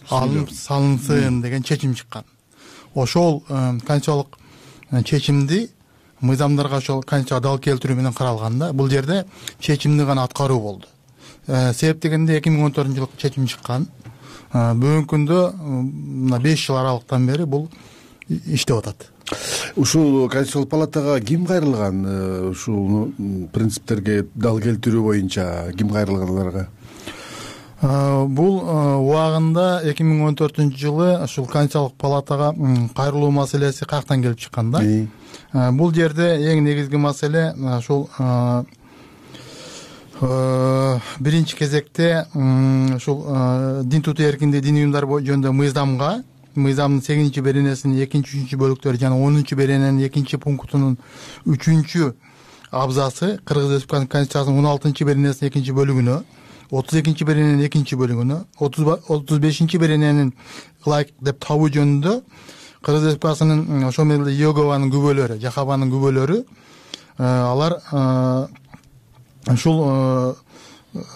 алынып салынсын деген чечим чыккан. Ошол конституциялык чечимди мыйзамдарга ошол конституцияга дал келтирүү менен каралганда, бул жерде чечимди гана аткаруу болду. Себеп дегенде 2014-жылы чечим чыккан. Бүгүнкү күндө мына 5 жыл аралыктан бери бул иштеп атат. Ушул Конституциялык палатага ким кайрылган? Ушул принциптерге дал келтирүү боюнча ким кайрылган аларга? Бул убагында 2014-жылы ушул Конституциялык палатага кайрылуу маселеси каяктан келип чыккан да? Бул жерде эң негизги маселе ушул биринчи кезекте ушул дин тутуу эркиндиги диний уюмдар жөнүндө мыйзамдын 8-беренесинин 2-3 бөлүктөрү жана 10-берененин 2-пунктунун 3-абзасы Кыргыз Республикасынын Конституциясынын 16-беренесинин 2-бөлүгүнө, 32-берененин 2-бөлүгүнө, 35-берененин ылайык деп табуу жөнүндө Кыргыз Республикасынын ошол менен Иегованын күбөлөрү, Жахабанын күбөлөрү алар ушул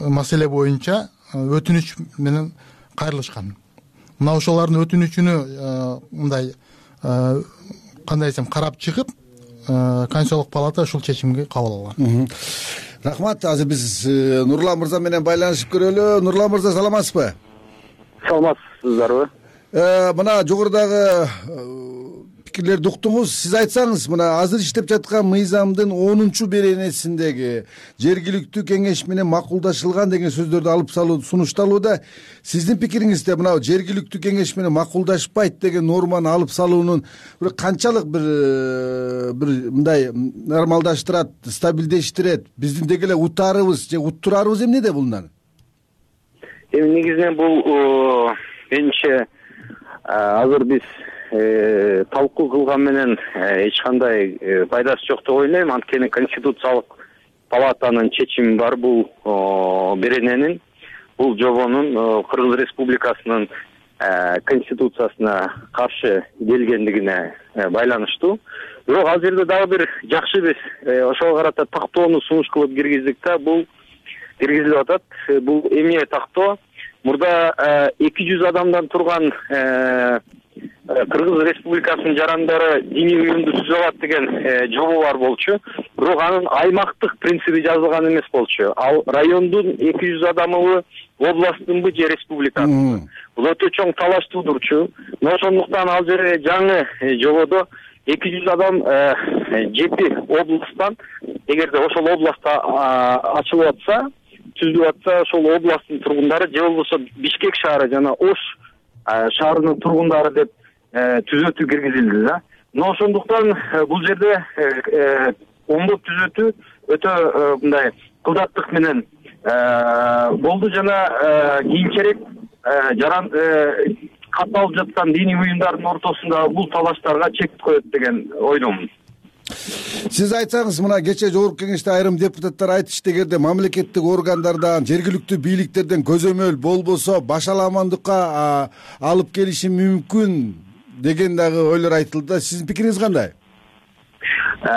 маселе боюнча өтүнүч менен кайрылышкан. Мына ошолордун өтүнүчүнү мындай кандай десем карап чыгып, Конституциялык палата ушул чечимге кабыл алган. Рахмат. Азыр биз Нурлан мырза менен байланышып көрөлү. Нурлан мырза, саламатсызбы? Саламатсыздарбы? Мына жогорудагы пикирлерди уктуңуз. Сиз айтсаңыз, мына азыр иштеп жаткан мыйзамдын 10-беренесиндеги жергиликтүү кеңеш менен макулдашылган деген сөздөрдү алып салуу сунушталууда. Сиздин пикириңизде мына жергиликтүү кеңеш менен макулдашпайт деген норманы алып салуунун бир канчалык бир мындай нормалдаштырат, стабилдештирет? Биздин деги эле утаарыбыз же уттурарыбыз эмнеде булнан? Эми негизинен бул менимче азыр биз талкуу кылган менен эч кандай пайдасы жок деп ойлойм. Анткени Конституциялык палатанын чечими бар бул берененин, бул жобонун Кыргыз Республикасынын конституциясына каршы келгендигине байланыштуу. Бирок ал жерде дагы бир жакшы биз ошого карата тактоону сунуш кылып киргиздик да, бул киргизилип атат. Бул эмне тактоо? Мурда 200 адамдан турган Кыргыз Республикасынын жарандары диний уюмду түзүп алат деген жобо бар болчу. Бирок анын аймактык принциби жазылган эмес болчу. Ал райондун 200 адамыбы, областтынбы же республиканынбы? Бул өтө чоң талаштуудурчу. Ошондуктан ал жерде жаңы жободо 200 адам жети областтан, эгерде ошол областта ачылып атса, түзүлүп атса, ошол областтын тургундары же болбосо Бишкек шаары жана Ош шаарынын тургундары деп түзөтүү киргизилди да. Но ошондуктан бул жерде оңдоп түзөтүү өтө мындай кылдаттык менен болду жана кийинчерээк катталып жаткан диний уюмдардын ортосунда бул талаштарга чек коет деген ойдомун. Сиз айтсаңыз, мына кечээ жогорку кеңеште айрым депутаттар айтышты, эгерде мамлекеттик органдардан, жергиликтүү бийликтерден көзөмөл болбосо башаламандыкка алып келиши мүмкүн деген дагы ойлор айтылды да. Сиздин пикириңиз кандай?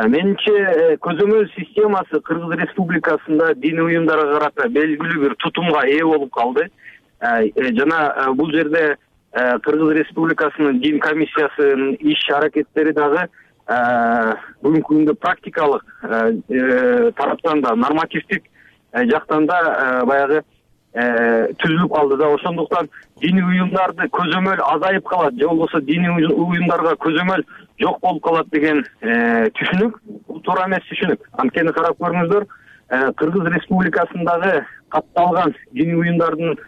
Менимче көзөмөл системасы Кыргыз Республикасында диний уюмдарга карата белгилүү бир тутумга ээ болуп калды. Жана бул жерде Кыргыз Республикасынын дин комиссиясынын иш аракеттери дагы бүгүнкү күндө практикалык тараптан да, нормативдик жактан да баягы түзүлүп калды да. Ошондуктан диний уюмдарды көзөмөл азайып калат же болбосо диний уюмдарга көзөмөл жок болуп калат деген түшүнүк бул туура эмес түшүнүк. Анткени карап көрүңүздөр, Кыргыз Республикасындагы катталган диний уюмдардын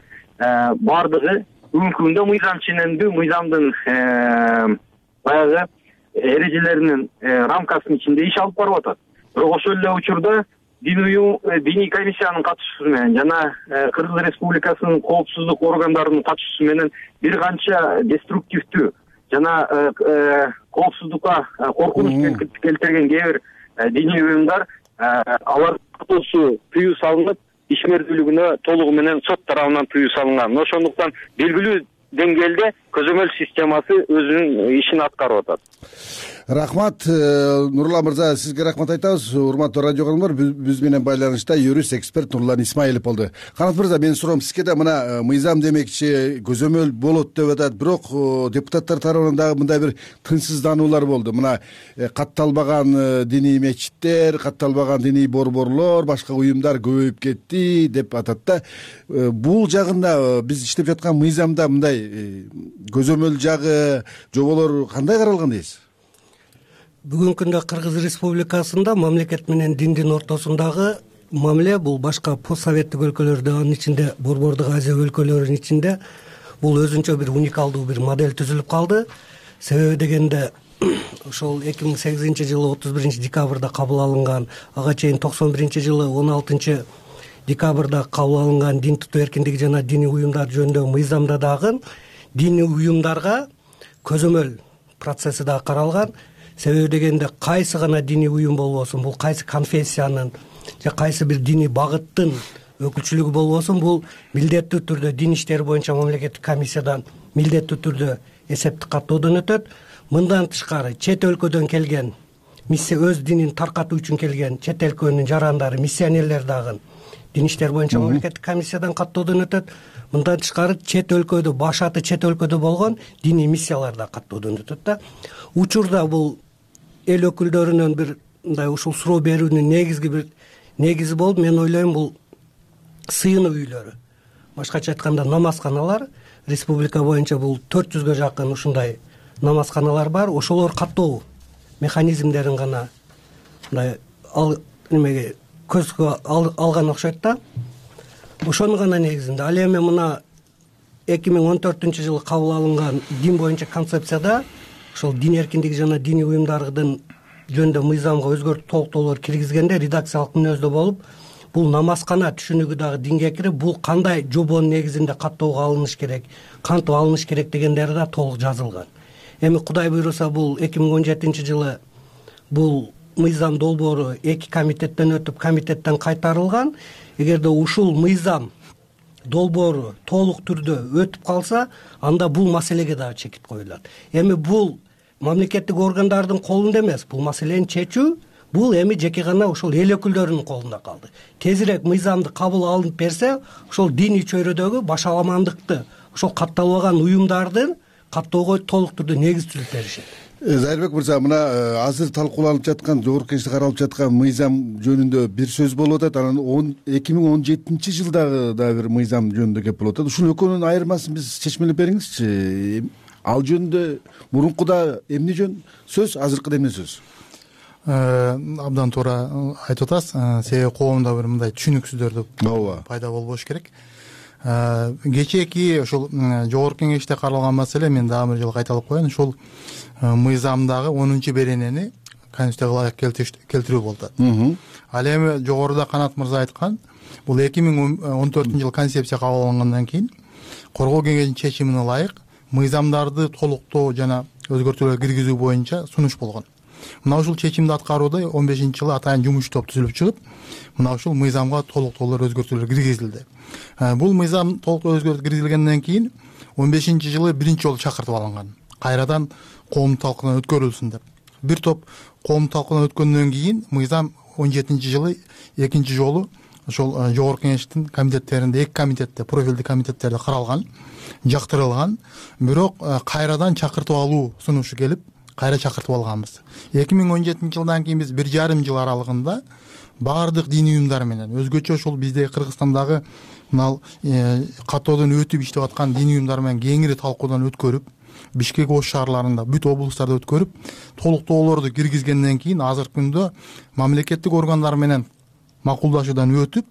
бардыгы бүгүнкү күндө мыйзам ченемдүү, мыйзамдын баягы эрежелеринин рамкасынын ичинде иш алып барып атат. Бирок ошол эле учурда диний комиссиянын катышуусу менен жана Кыргыз Республикасынын коопсуздук органдарынын катышуусу менен бир канча деструктивдүү жана коопсуздукка коркунуч келтирген кээ бир диний уюмдар алардын катышуусу тыюу салынып, ишмердүүлүгүнө толугу менен сот тарабынан тыюу салынган. Ошондуктан белгилүү деңгээлде көзөмөл системасы өзүнүн ишин аткарып атат. Рахмат, Нурлан мырза, сизге рахмат айтабыз. Урматтуу радио көрөрмандар, биз менен байланышта юрист эксперт Нурлан Исмаилов болду. Канат мырза, менин суроом сизге да, мына мыйзам демекчи көзөмөл болот деп атат, бирок депутаттар тарабынан дагы мындай бир тынчсыздануулар болду. Мына катталбаган диний мечиттер, катталбаган диний борборлор, башка уюмдар көбөйүп кетти деп атат да. Бул жагында биз иштеп жаткан мыйзамда мындай көзөмөл жагы, жоболор кандай каралган дейсиз? Бүгүнкү күндө Кыргыз Республикасында мамлекет менен диндин ортосундагы мамиле бул башка постсоветтик өлкөлөрдө, анын ичинде Борбордук Азия өлкөлөрүнүн ичинде бул өзүнчө бир уникалдуу бир модель түзүлүп калды. Себеби дегенде ошол 2008-жылы 31 декабрда кабыл алынган, ага чейин 91-жылы 16 декабрда кабыл алынган дин тутуу эркиндиги жана диний уюмдар жөнүндөгү мыйзамда дагы диний уюмдарга көзөмөл процесси да каралган. Себеби дегенде кайсы гана диний уюм болбосун, бул кайсы конфессиянын же кайсы бир диний багыттын өкүлчүлүгү болбосун, бул милдеттүү түрдө дин иштери боюнча мамлекеттик комиссиядан милдеттүү түрдө эсептик каттоодон өтөт. Мындан тышкары чет өлкөдөн келген, миссия өз динин таркатуу үчүн келген чет өлкөнүн жарандары, миссионерлер дагы дин иштери боюнча мамлекеттик комиссиядан каттоодон өтөт. Мындан тышкары чет өлкөдө, башаты чет өлкөдө болгон диний миссиялар да каттоодон өтөт да. Учурда бул эл өкүлдөрүнөн бир мындай ушул суроо берүүнүн негизи болуп, мен ойлойм, бул сыйынуу үйлөрү. Башкача айтканда намазканалар, республика боюнча бул 400гө жакын ушундай намазканалар бар. Ошолор каттоо механизмдерин гана мындай немеге көзгө алган окшойт да. Ошонун гана негизинде. Ал эми мына 2014-жылы кабыл алынган дин боюнча концепцияда ошол дин эркиндиги жана диний уюмдардын жөнүндө мыйзамга өзгөртүү толуктоолор киргизгенде редакциялык мүнөздө болуп, бул намазкана түшүнүгү дагы динге кирип, бул кандай жобонун негизинде каттоого алыныш керек, кантип алыныш керек дегендери да толук жазылган. Эми Кудай буйруса бул 2017-жылы бул мыйзам долбоору 2 комитеттен өтүп, комитеттен кайтарылган. Эгерде ушул мыйзам долбоору толук түрдө өтүп калса, анда бул маселеге дагы чекит коюлат. Эми бул мамлекеттик органдардын колунда эмес, бул маселени чечүү бул эми жеке гана ошол эл өкүлдөрүнүн колунда калды. Тезирээк мыйзамды кабыл алынып берсе, ошол диний чөйрөдөгү башаламандыкты, ошол катталбаган уюмдардын каттоого толук түрдө негиз түзүп беришет. Зайырбек мырза, мына азыр талкууланып жаткан, жогорку кеңеште каралып жаткан мыйзам жөнүндө бир сөз болуп атат. Анан 2017-жылдагы да бир мыйзам жөнүндө кеп болуп атат. Ушунун экөөнүн айырмасын биз чечмелеп бериңизчи. Ал жөнүндө мурункуда эмне жөн сөз, азыркыда эмне сөз? Абдан туура айтып атасыз. Себеби коомдо бир мындай түшүнүксүздөр пайда болбош керек. Кечээки ошол жогорку кеңеште каралган маселе, мен дагы бир жолу кайталап коеюн, ушул мыйзамдагы 10-беренени конституцияга ылайык келтирүү болуп атат. Ал эми жогоруда Канат мырза айткан, бул 2014-жылы концепция кабыл алынгандан кийин коргоо кеңешинин чечимине ылайык мыйзамдарды толуктоо жана өзгөртүүлөр киргизүү боюнча сунуш болгон. Мына ушул чечимди аткарууда 15-жылы атайын жумуш топ түзүлүп чыгып, мына ушул мыйзамга толуктоолор, өзгөртүүлөр киргизилди. Бул мыйзам толуктоо өзгөртүү киргизилгенден кийин 15-жылы биринчи жолу чакыртып алынган. Кайрадан коомдук талкуудан өткөрүлсүн деп. Бир топ коомдук талкуудан өткөндөн кийин мыйзам 17-жылы экинчи жолу ошол жогорку кеңештин комитеттеринде, эки комитетте, профилдик комитеттерде каралган, жактырылган. Бирок кайрадан чакыртып алуу сунушу келип, кайра чакыртып алганбыз. 2017-жылдан кийин биз 1,5 жыл аралыгында баардык диний уюмдар менен, өзгөчө ошол биздеги Кыргызстандагы мына каттоодон өтүп иштеп аткан диний уюмдар менен кеңири талкуудан өткөрүп, Бишкек ош шаарларында, бүт облустарда өткөрүп, толуктоолорду киргизгенден кийин азыркы күндө мамлекеттик органдар менен макулдашуудан өтүп,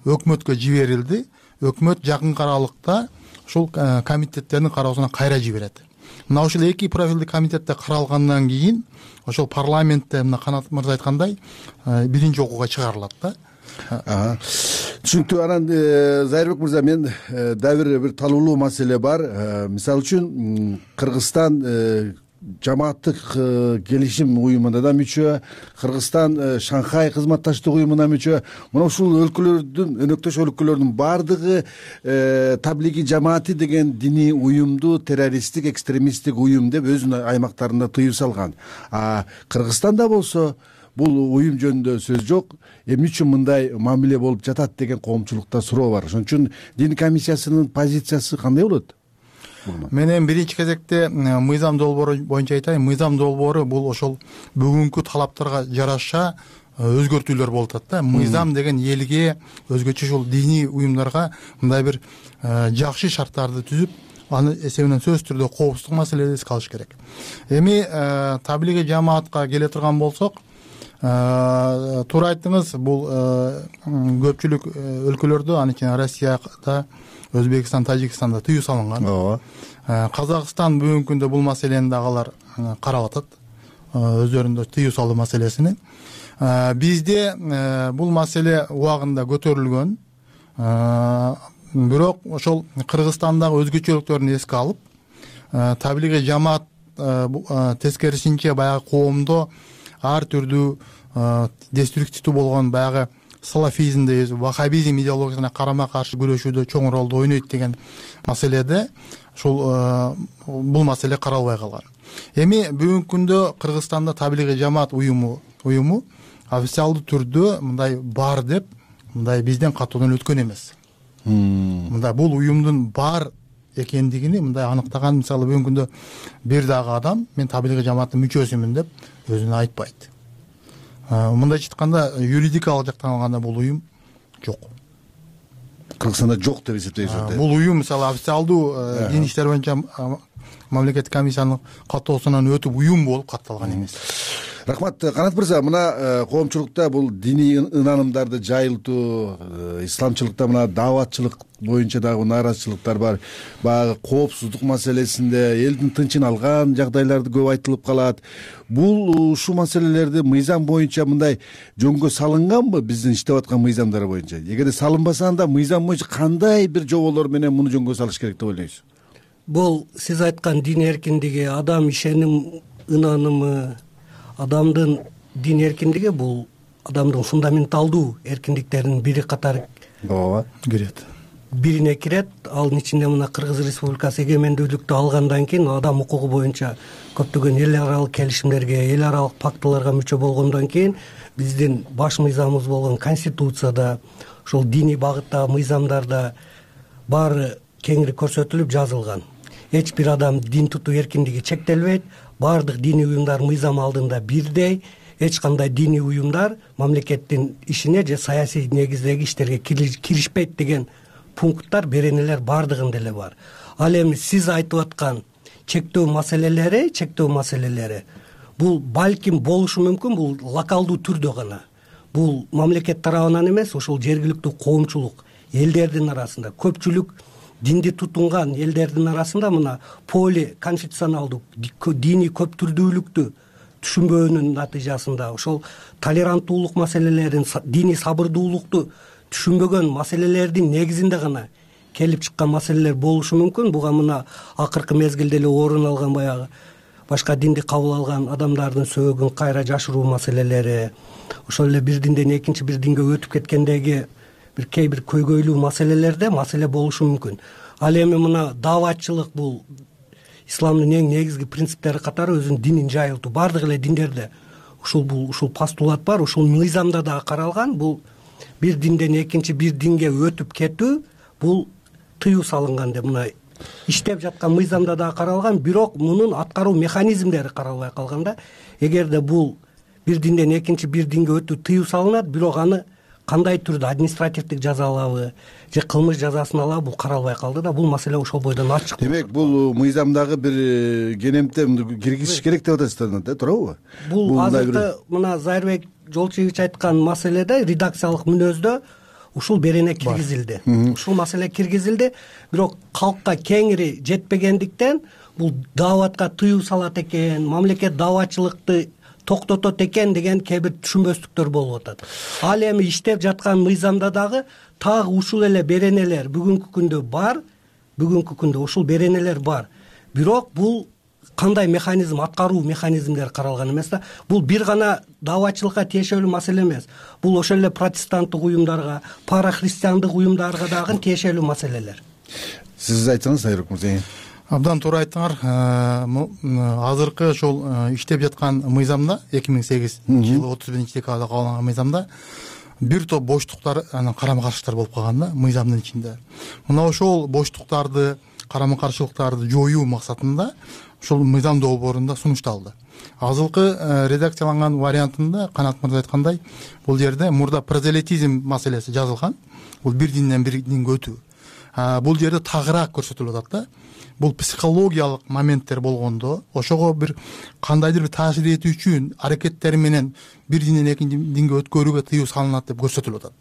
өкмөткө жиберилди. Өкмөт жакынкы аралыкта ушул комитеттердин кароосуна кайра жиберет. Мына ушул эки профилдик комитетте каралгандан кийин ошол парламентте мына Канат мырза айткандай биринчи окууга чыгарылат да. Түшүнүктүү. Анан Зайырбек мырза, мен дагы бир талуулуу маселе бар. Мисалы үчүн Кыргызстан жамааттык келишим уюмуна да мүчө, Кыргызстан Шанхай кызматташтык уюмуна мүчө. Мына ушул өлкөлөрдүн, өнөктөш өлкөлөрдүн баардыгы таблиги жамааты деген диний уюмду террористтик, экстремисттик уюм деп өзүнүн аймактарында тыюу салган. Кыргызстанда болсо бул уюм жөнүндө сөз жок. Эмне үчүн мындай мамиле болуп жатат деген коомчулукта суроо бар. Ошон үчүн дин комиссиясынын позициясы кандай болот? Мен эми биринчи кезекте мыйзам долбоору боюнча айтайын. Мыйзам долбоору бул ошол бүгүнкү талаптарга жараша өзгөртүүлөр болуп атат да. Мыйзам деген элге, өзгөчө ушул диний уюмдарга мындай бир жакшы шарттарды түзүп, аны эсебинен сөзсүз түрдө коопсуздук маселеси эске алыш керек. Эми таблиги жамаатка келе турган болсок, туура айттыңыз, бул көпчүлүк өлкөлөрдө, анын ичинде Россияда, Өзбекстан, Тажикстанда тыюу салынган. Казакстан бүгүнкү күндө бул маселени дагы алар карап атат, өздөрүндө тыюу салуу маселесини. Бизде бул маселе убагында көтөрүлгөн, бирок ошол Кыргызстандагы өзгөчөлүктөрүн эске алып, таблиги жамаат тескерисинче баягы коомдо ар түрдүү деструктивдүү болгон баягы салафизм дейбиз, ваххабизм идеологиясына карама каршы күрөшүүдө чоң ролду ойнойт деген маселеде ушул бул маселе каралбай калган. Эми бүгүнкү күндө Кыргызстанда таблиги жамаат уюму официалдуу түрдө мындай бар деп, мындай бизден каттоодон өткөн эмес. Мындай бул уюмдун бар экендигини мындай аныктаган, мисалы бүгүнкү күндө бир дагы адам мен таблиги жамааттын мүчөсүмүн деп өзүнө айтпайт. Мындайча айтканда, юридикалык жактан алганда бул уюм жок. Кыргызстанда жок деп эсептейсиз. Бул уюм мисалы официалдуу дин иштери боюнча мамлекеттик комиссиянын каттоосунан өтүп уюм болуп катталган эмес. Рахмат. Канат мырза, мына коомчулукта бул диний ынанымдарды жайылтуу, исламчылыкта мына дааватчылык боюнча дагы нааразычылыктар бар. Баягы коопсуздук маселесинде элдин тынчын алган жагдайларды көп айтылып калат. Бул ушул маселелерди мыйзам боюнча мындай жөнгө салынганбы, биздин иштеп аткан мыйзамдар боюнча? Эгерде салынбаса, анда мыйзам боюнча кандай бир жоболор менен муну жөнгө салыш керек деп ойлойсуз? Бул сиз айткан дин эркиндиги, адам ишеним ынанымы, адамдын дин эркиндиги бул адамдын фундаменталдуу эркиндиктеринин бири катары кирет. Бирине кирет. Анын ичинде мына Кыргыз Республикасы эгемендүүлүктү алгандан кийин адам укугу боюнча көптөгөн эл аралык келишимдерге, эл аралык пактыларга мүчө болгондон кийин биздин баш мыйзамыбыз болгон Конституцияда, ошол диний багыттагы мыйзамдарда баары кеңири көрсөтүлүп жазылган. Эч бир адам дин тутуу эркиндиги чектелбейт. Баардык диний уюмдар мыйзам алдында бирдей. Эч кандай диний уюмдар мамлекеттин ишине же саясий негиздеги иштерге киришпейт деген пункттар, беренелер баардыгында эле бар. Ал эми сиз айтып аткан чектөө маселелери бул балким болушу мүмкүн, бул локалдуу түрдө гана. Бул мамлекет тарабынан эмес, ошол жергиликтүү коомчулук элдердин арасында, көпчүлүк динди тутунган элдердин арасында мына поли конституционалдуу диний көп түрдүүлүктү түшүнбөөнүн натыйжасында, ошол толеранттуулук маселелерин, диний сабырдуулукту түшүнбөгөн маселелердин негизинде гана келип чыккан маселелер болушу мүмкүн. Буга мына акыркы мезгилде эле орун алган баягы башка динди кабыл алган адамдардын сөөгүн кайра жашыруу маселелери, ошол эле бир динден экинчи бир динге өтүп кеткендеги бир кээ бир көйгөйлүү маселелерде маселе болушу мүмкүн. Ал эми мына дааватчылык бул исламдын эң негизги принциптери катары өзүнүн динин жайылтуу. Бардык эле диндерде ушул постулат бар, ушул мыйзамда да каралган. Бул бир динден экинчи бир динге өтүп кетүү бул тыюу салынган деп мына иштеп жаткан мыйзамда да каралган. Бирок мунун аткаруу механизмдери каралбай калганда, эгерде бул бир динден экинчи бир динге өтүү тыюу салынат, бирок аны кандай түрдө административдик жаза алабы же кылмыш жазасын алабы, бул каралбай калды да. Бул маселе ошол бойдон ачык. Демек бул мыйзамдагы бир кенемте киргизиш керек деп атасыздар, туурабы? Бул азыркы мына Зайырбек Жолчиевич айткан маселеде редакциялык мүнөздө ушул берене киргизилди. Ушул маселе киргизилди, бирок калкка кеңири жетпегендиктен бул дааватка тыюу салат экен, мамлекет дааватчылыкты токтотот экен деген кээ бир түшүнбөстүктөр болуп атат. Ал эми иштеп жаткан мыйзамда дагы так ушул эле беренелер бүгүнкү күндө бар, бүгүнкү күндө ушул беренелер бар. Бирок бул кандай механизм, аткаруу механизмдери каралган эмес да. Бул бир гана дааватчылыкка тиешелүү маселе эмес. Бул ошол эле протестанттык уюмдарга, парахристиандык уюмдарга дагы тиешелүү маселелер. Сиз айтсаңыз, Сайрок мырза. Абдан туура айттыңар. Азыркы ошол иштеп жаткан мыйзамда 2008 жылы 31 декабрда кабыл алынган мыйзамда бир топ боштуктар, анан карама каршылыктар болуп калган да мыйзамдын ичинде. Мына ошол боштуктарды, карама каршылыктарды жоюу максатында ушул мыйзам долбоорунда сунушталды. Азыркы редакцияланган вариантында Канат мырза айткандай, бул жерде мурда прозелитизм маселеси жазылган. Бул бир динден бир динге өтүү. Бул жерде тагыраак көрсөтүлүп атат да. Бул психологиялык моменттер болгондо, ошого бир кандайдыр бир таасир этүүчү аракеттери менен бир динден экинчи динге өткөрүүгө тыюу салынат деп көрсөтүлүп атат.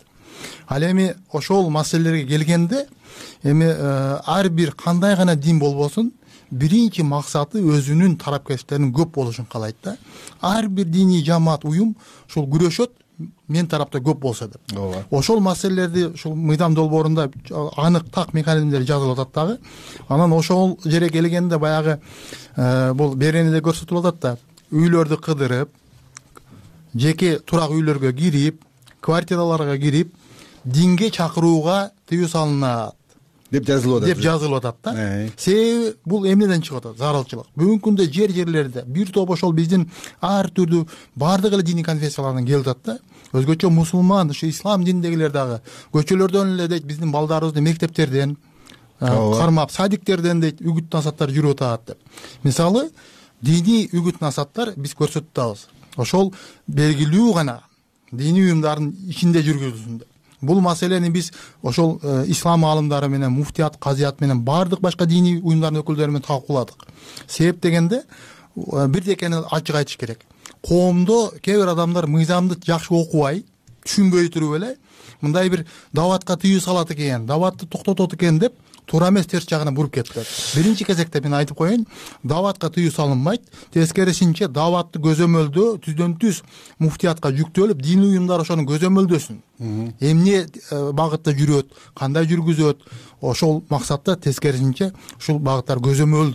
Ал эми ошол маселелерге келгенде, эми ар бир кандай гана дин болбосун, биринчи максаты өзүнүн тарапкерчилеринин көп болушун каалайт да. Ар бир диний жамаат, уюм ушул күрөшөт, мен тарапта көп болсо деп. Ошол маселелерди ушул мыйзам долбоорунда анык так механизмдер жазылып атат дагы. Анан ошол жерге келгенде баягы бул беренеде көрсөтүлүп атат да. Үйлөрдү кыдырып, жеке турак үйлөргө кирип, квартираларга кирип, динге чакырууга тыюу салынат деп жазылып атат да. Себеби бул эмнеден чыгып атат? Зарылчылык. Бүгүнкү күндө жерлерде бир топ ошол биздин ар түрдүү бардык эле диний конфессиялардан келип атат да. Өзгөчө мусулман, ушу ислам динидегилер дагы көчөлөрдөн эле дейт, биздин балдарыбызды мектептерден кармап, садиктерден дейт үгүт насаттар жүрүп атат деп. Мисалы, диний үгүт насаттар биз көрсөтүп атабыз. Ошол белгилүү гана диний уюмдардын ичинде жүргүзүлсүн деп. Бул маселени биз ошол ислам аалымдары менен, муфтият, казият менен бардык башка диний уюмдардын өкүлдөрү менен талкууладык. Себеп дегенде бирдекени ачык айтыш керек. Коомдо кээ бир адамдар мыйзамды жакшы окубай, түшүнбөй туруп эле мындай бир дааватка тыюу салат экен, дааватты токтотот экен деп туура эмес терс жагына буруп кетти. Биринчи кезекте мен айтып коеюн, дааватка тыюу салынбайт. Тескерисинче дааватты көзөмөлдөө түздөн түз муфтиятка жүктөлүп, диний уюмдар ошону көзөмөлдөсүн. Эмне багытта жүрөт, кандай жүргүзөт, ошол максатта тескерисинче ушул багыттар көзөмөл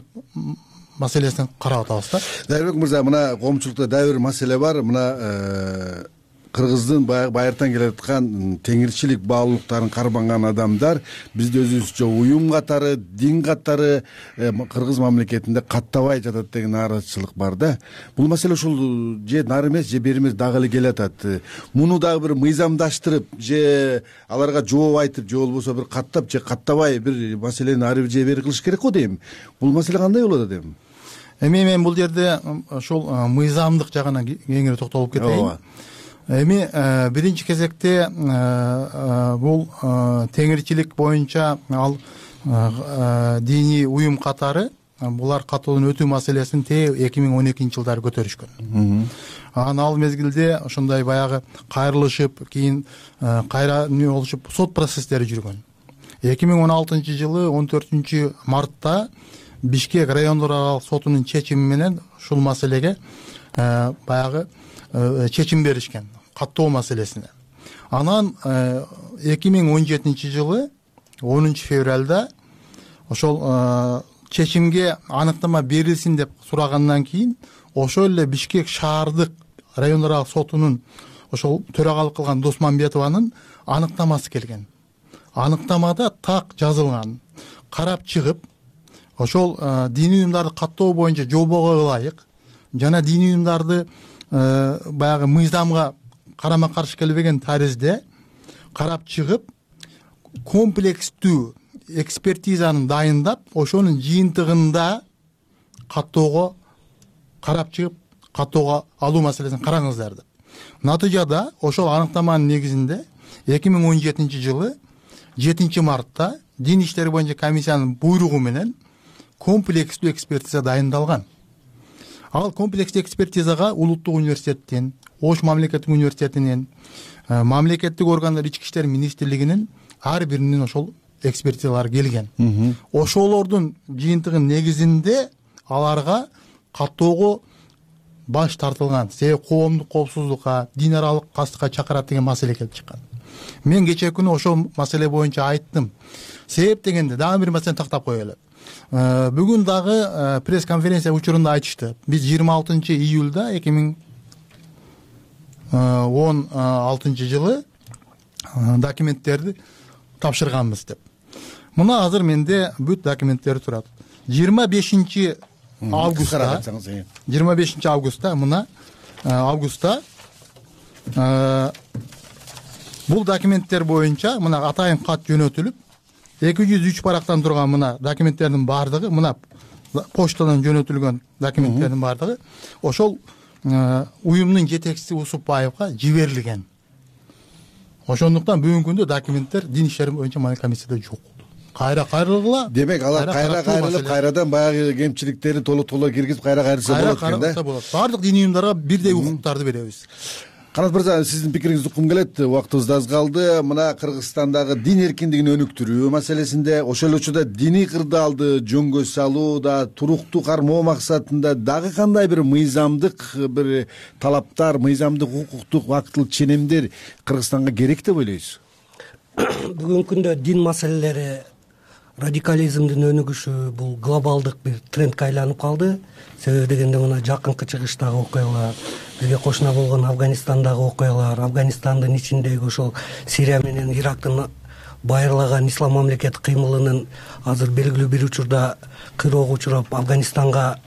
маселесин карап атабыз да. Зайырбек мырза, мына коомчулукта дагы бир маселе бар. Мына Кыргыздын байыртан келе аткан теңирчилик баалуулуктарын карманган адамдар бизде өзүбүзчө уюм катары, дин катары кыргыз мамлекетинде каттабай жатат деген нааразычылык бар да. Бул маселе ушул же нары эмес, же бери эмес дагы эле келе атат. Муну дагы бир мыйзамдаштырып, же аларга жооп айтып, же болбосо бир каттап, же каттабай бир маселени ары же бери кылыш керек го дейм. Бул маселе кандай болот дейм? Эми мен бул жерде ошол мыйзамдык жагына кеңири токтолуп кетейин. Эми биринчи кезекте бул теңирчилик боюнча ал диний уюм катары булар катуудан өтүү маселесин 2012 жылдары көтөрүшкөн. Анан ал мезгилде ошондой баягы кайрылышып, кийин кайра болушуп сот процесстери жүргөн. 2016 жылы 14 мартта Бишкек райондор аралык сотунун чечими менен ушул маселеге баягы чечим беришкен каттоо маселесине. Анан 2017 жылы 10 февралда ошол чечимге аныктама берилсин деп сурагандан кийин ошол эле Бишкек шаардык район аралык сотунун ошол төрагалык кылган Досмамбетованын аныктамасы келген. Аныктамада так жазылган, карап чыгып, ошол диний уюмдарды каттоо боюнча жобого ылайык жана диний уюмдарды баягы мыйзамга карама каршы келбеген таризде карап чыгып, комплекстүү экспертизаны дайындап, ошонун жыйынтыгында каттоого карап чыгып, каттоого алуу маселесин караңыздар деп. Натыйжада ошол аныктаманын негизинде 2017 жылы 7 мартта дин иштери боюнча комиссиянын буйругу менен комплекстүү экспертиза дайындалган. Ал комплекстүү экспертизага Улуттук университеттен, Ош мамлекеттик университетинен, мамлекеттик органдар ички иштер министрлигинин ар биринин ошол экспертизалары келген. Ошолордун жыйынтыгынын негизинде аларга каттоого баш тартылган. Себеби коомдук коопсуздукка, дин аралык кастыкка чакырат деген маселе келип чыккан. Мен кечээ күнү ошол маселе боюнча айттым. Себеп дегенде дагы бир маселени тактап коелу. Бүгүн дагы пресс-конференция учурунда айтышты. Биз 26 июлда 2016 жылы документтерди тапшырганбыз деп. Мына азыр менде бүт документтер турат. 25 августта мына августта бул документтер боюнча мына атайын кат жөнөтүлүп 203 парактан турган мына документтердин баардыгы мына почтадан жөнөтүлгөн документтердин баардыгы ошол уюмдун жетекчиси Усупбаевга жиберилген. Ошондуктан бүгүнкү күндө документтер дин иштери боюнча комиссияда жок. Кайра кайрылгыла. Демек алар кайра кайрылып, кайрадан баягы кемчиликтерди толук киргизип кайра кайрылса болот экен да. Баардык дин уюмдарга бирдей укуктарды беребиз. Канат мырза, сиздин пикириңизди уккум келет. Убактыбыз да аз калды. Мына Кыргызстандагы дин эркиндигин өнүктүрүү маселесинде, ошол эле учурда диний кырдаалды жөнгө салууда, туруктуу кармоо максатында дагы кандай бир мыйзамдык бир талаптар, мыйзамдык укуктук актылык ченемдер Кыргызстанга керек деп ойлойсуз? Бүгүнкү күндө дин маселелери, радикализмдин өнүгүшү бул глобалдык бир трендке айланып калды. Себеби дегенде мына жакынкы чыгыштагы окуялар, бизге кошуна болгон Афганистандагы окуялар, Афганистандын ичиндеги ошол Сирия менен Ирактын байырлаган ислам мамлекети кыймылынын азыр белгилүү бир учурда кыйроого учурап Афганистанга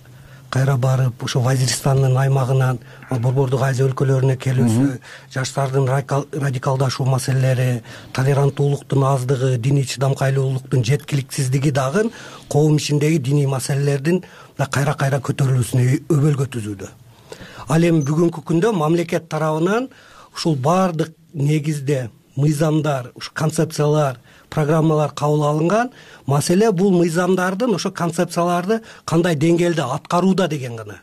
кайра барып, ошо Вазиристандын аймагынан Борбордук Азия өлкөлөрүнө келүүсү, жаштардын радикалдашуу маселелери, толеранттуулуктун аздыгы, диний чыдамкайлуулуктун жеткиликсиздиги дагы коом ичиндеги диний маселелердин кайра көтөрүлүүсүнө өбөлгө түзүүдө. Ал эми бүгүнкү күндө мамлекет тарабынан ушул баардык негизде мыйзамдар, концепциялар, программалар кабыл алынган. Маселе бул мыйзамдардын ошо концепцияларды кандай деңгээлде аткарууда деген гана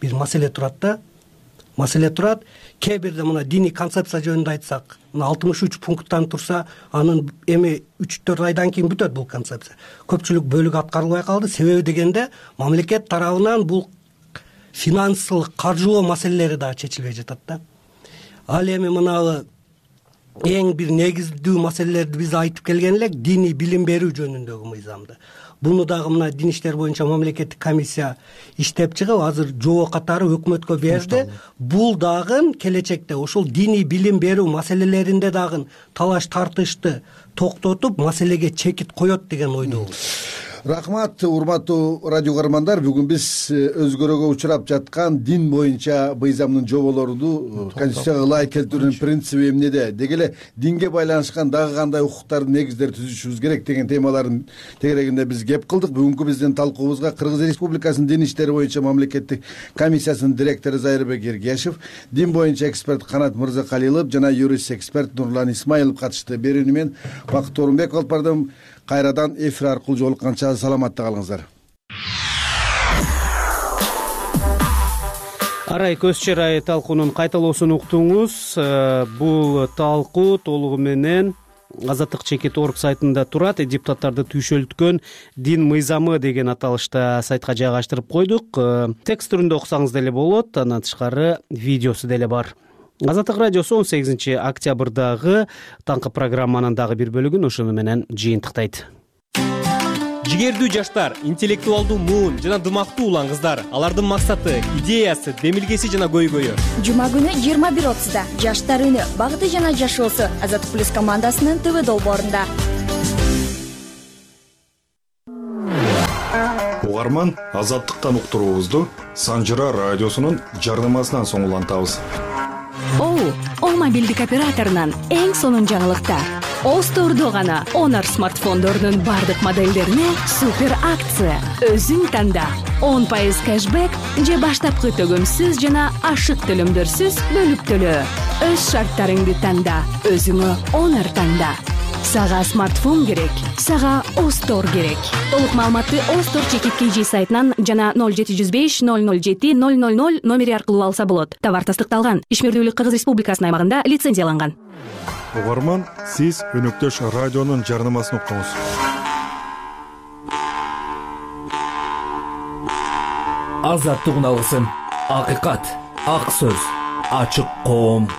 бир маселе турат да. Маселе турат. Кээ бирде мына диний концепция жөнүндө айтсак, мына 63 пункттан турса, анын эми 3-4 айдан кийин бүтөт бул концепция. Көпчүлүк бөлүгү аткарылбай калды. Себеби дегенде мамлекет тарабынан бул финансылык, каржылоо маселелери дагы чечилбей жатат да. Ал эми мына эң бир негиздүү маселелерди биз айтып келген элек, диний билим берүү жөнүндөгү мыйзамды. Буну дагы мына дин иштер боюнча мамлекеттик комиссия иштеп чыгып, азыр жобо катары өкмөткө берди. Бул дагы келечекте ошол диний билим берүү маселелеринде дагы талаш тартышты токтотуп, маселеге чекит коет деген ойдобуз. Рахмат, урматтуу радио көрөрмандар. Бүгүн биз өзгөрүүгө учурап жаткан дин боюнча мыйзамдын жоболорду конституцияга ылайык келтирүүнүн принциби эмнеде, деги эле динге байланышкан дагы кандай укуктардын негиздери түзүшүбүз керек деген темалардын тегерегинде биз кеп кылдык. Бүгүнкү биздин талкуубузга Кыргыз Республикасынын дин иштери боюнча мамлекеттик комиссиясынын директору Зайырбек Эргешев, дин боюнча эксперт Канат Мырзакалилов жана юрист эксперт Нурлан Исмаилов катышты. Берүүнү мен Бакыт Орунбеков алып бардым. Кайрадан эфир аркылуу жолукканча саламатта калыңыздар. Арай көз чырай талкуунун кайталоосун уктуңуз. Бул талкуу толугу менен Азаттык чекит.org сайтында турат. Депутаттарды түйшөлткөн дин мыйзамы деген аталышта сайтка жайгаштырып койдук. Текст түрүндө окусаңыз деле болот. Андан тышкары видеосу деле бар. Азаттык радиосу 18 октябрдагы таңкы программанын дагы бир бөлүгүн ошону менен жыйынтыктайт. Жигердүү жаштар, интеллектуалдуу муун жана дымактуу улан кыздар. Алардын максаты, идеясы, демилгеси жана көйгөйү. Жума күнү 21:30 Жаштар үнү, багыты жана жашоосу Азаттык плюс командасынын ТВ долбоорунда. Угарман, Азаттыктан уктуруубузду Санжыра радиосунун жарнамасынан соң улантабыз. О мобилдик операторунан эң сонун жаңылыктар. Остордо гана Honor смартфондорунун бардык моделдерине супер акция. Өзүң танда. 10% кэшбэк же баштапкы төгөмсүз жана ашык төлөмдөрсүз бөлүп төлөө. Өз шарттарыңды танда. Өзүңө Honor танда. Сага смартфон керек, сага Остор керек. Толук маалыматты Остор чекит KG сайтынан жана 0705 007 000 номери аркылуу алса болот. Товар тастыкталган. Ишмердүүлүк Кыргыз Республикасынын аймагында лицензияланган. Угарман, сиз өнөктөш радионун жарнамасын уктуңуз. Азаттык уналгысын, акыйкат, ак сөз, ачык коом.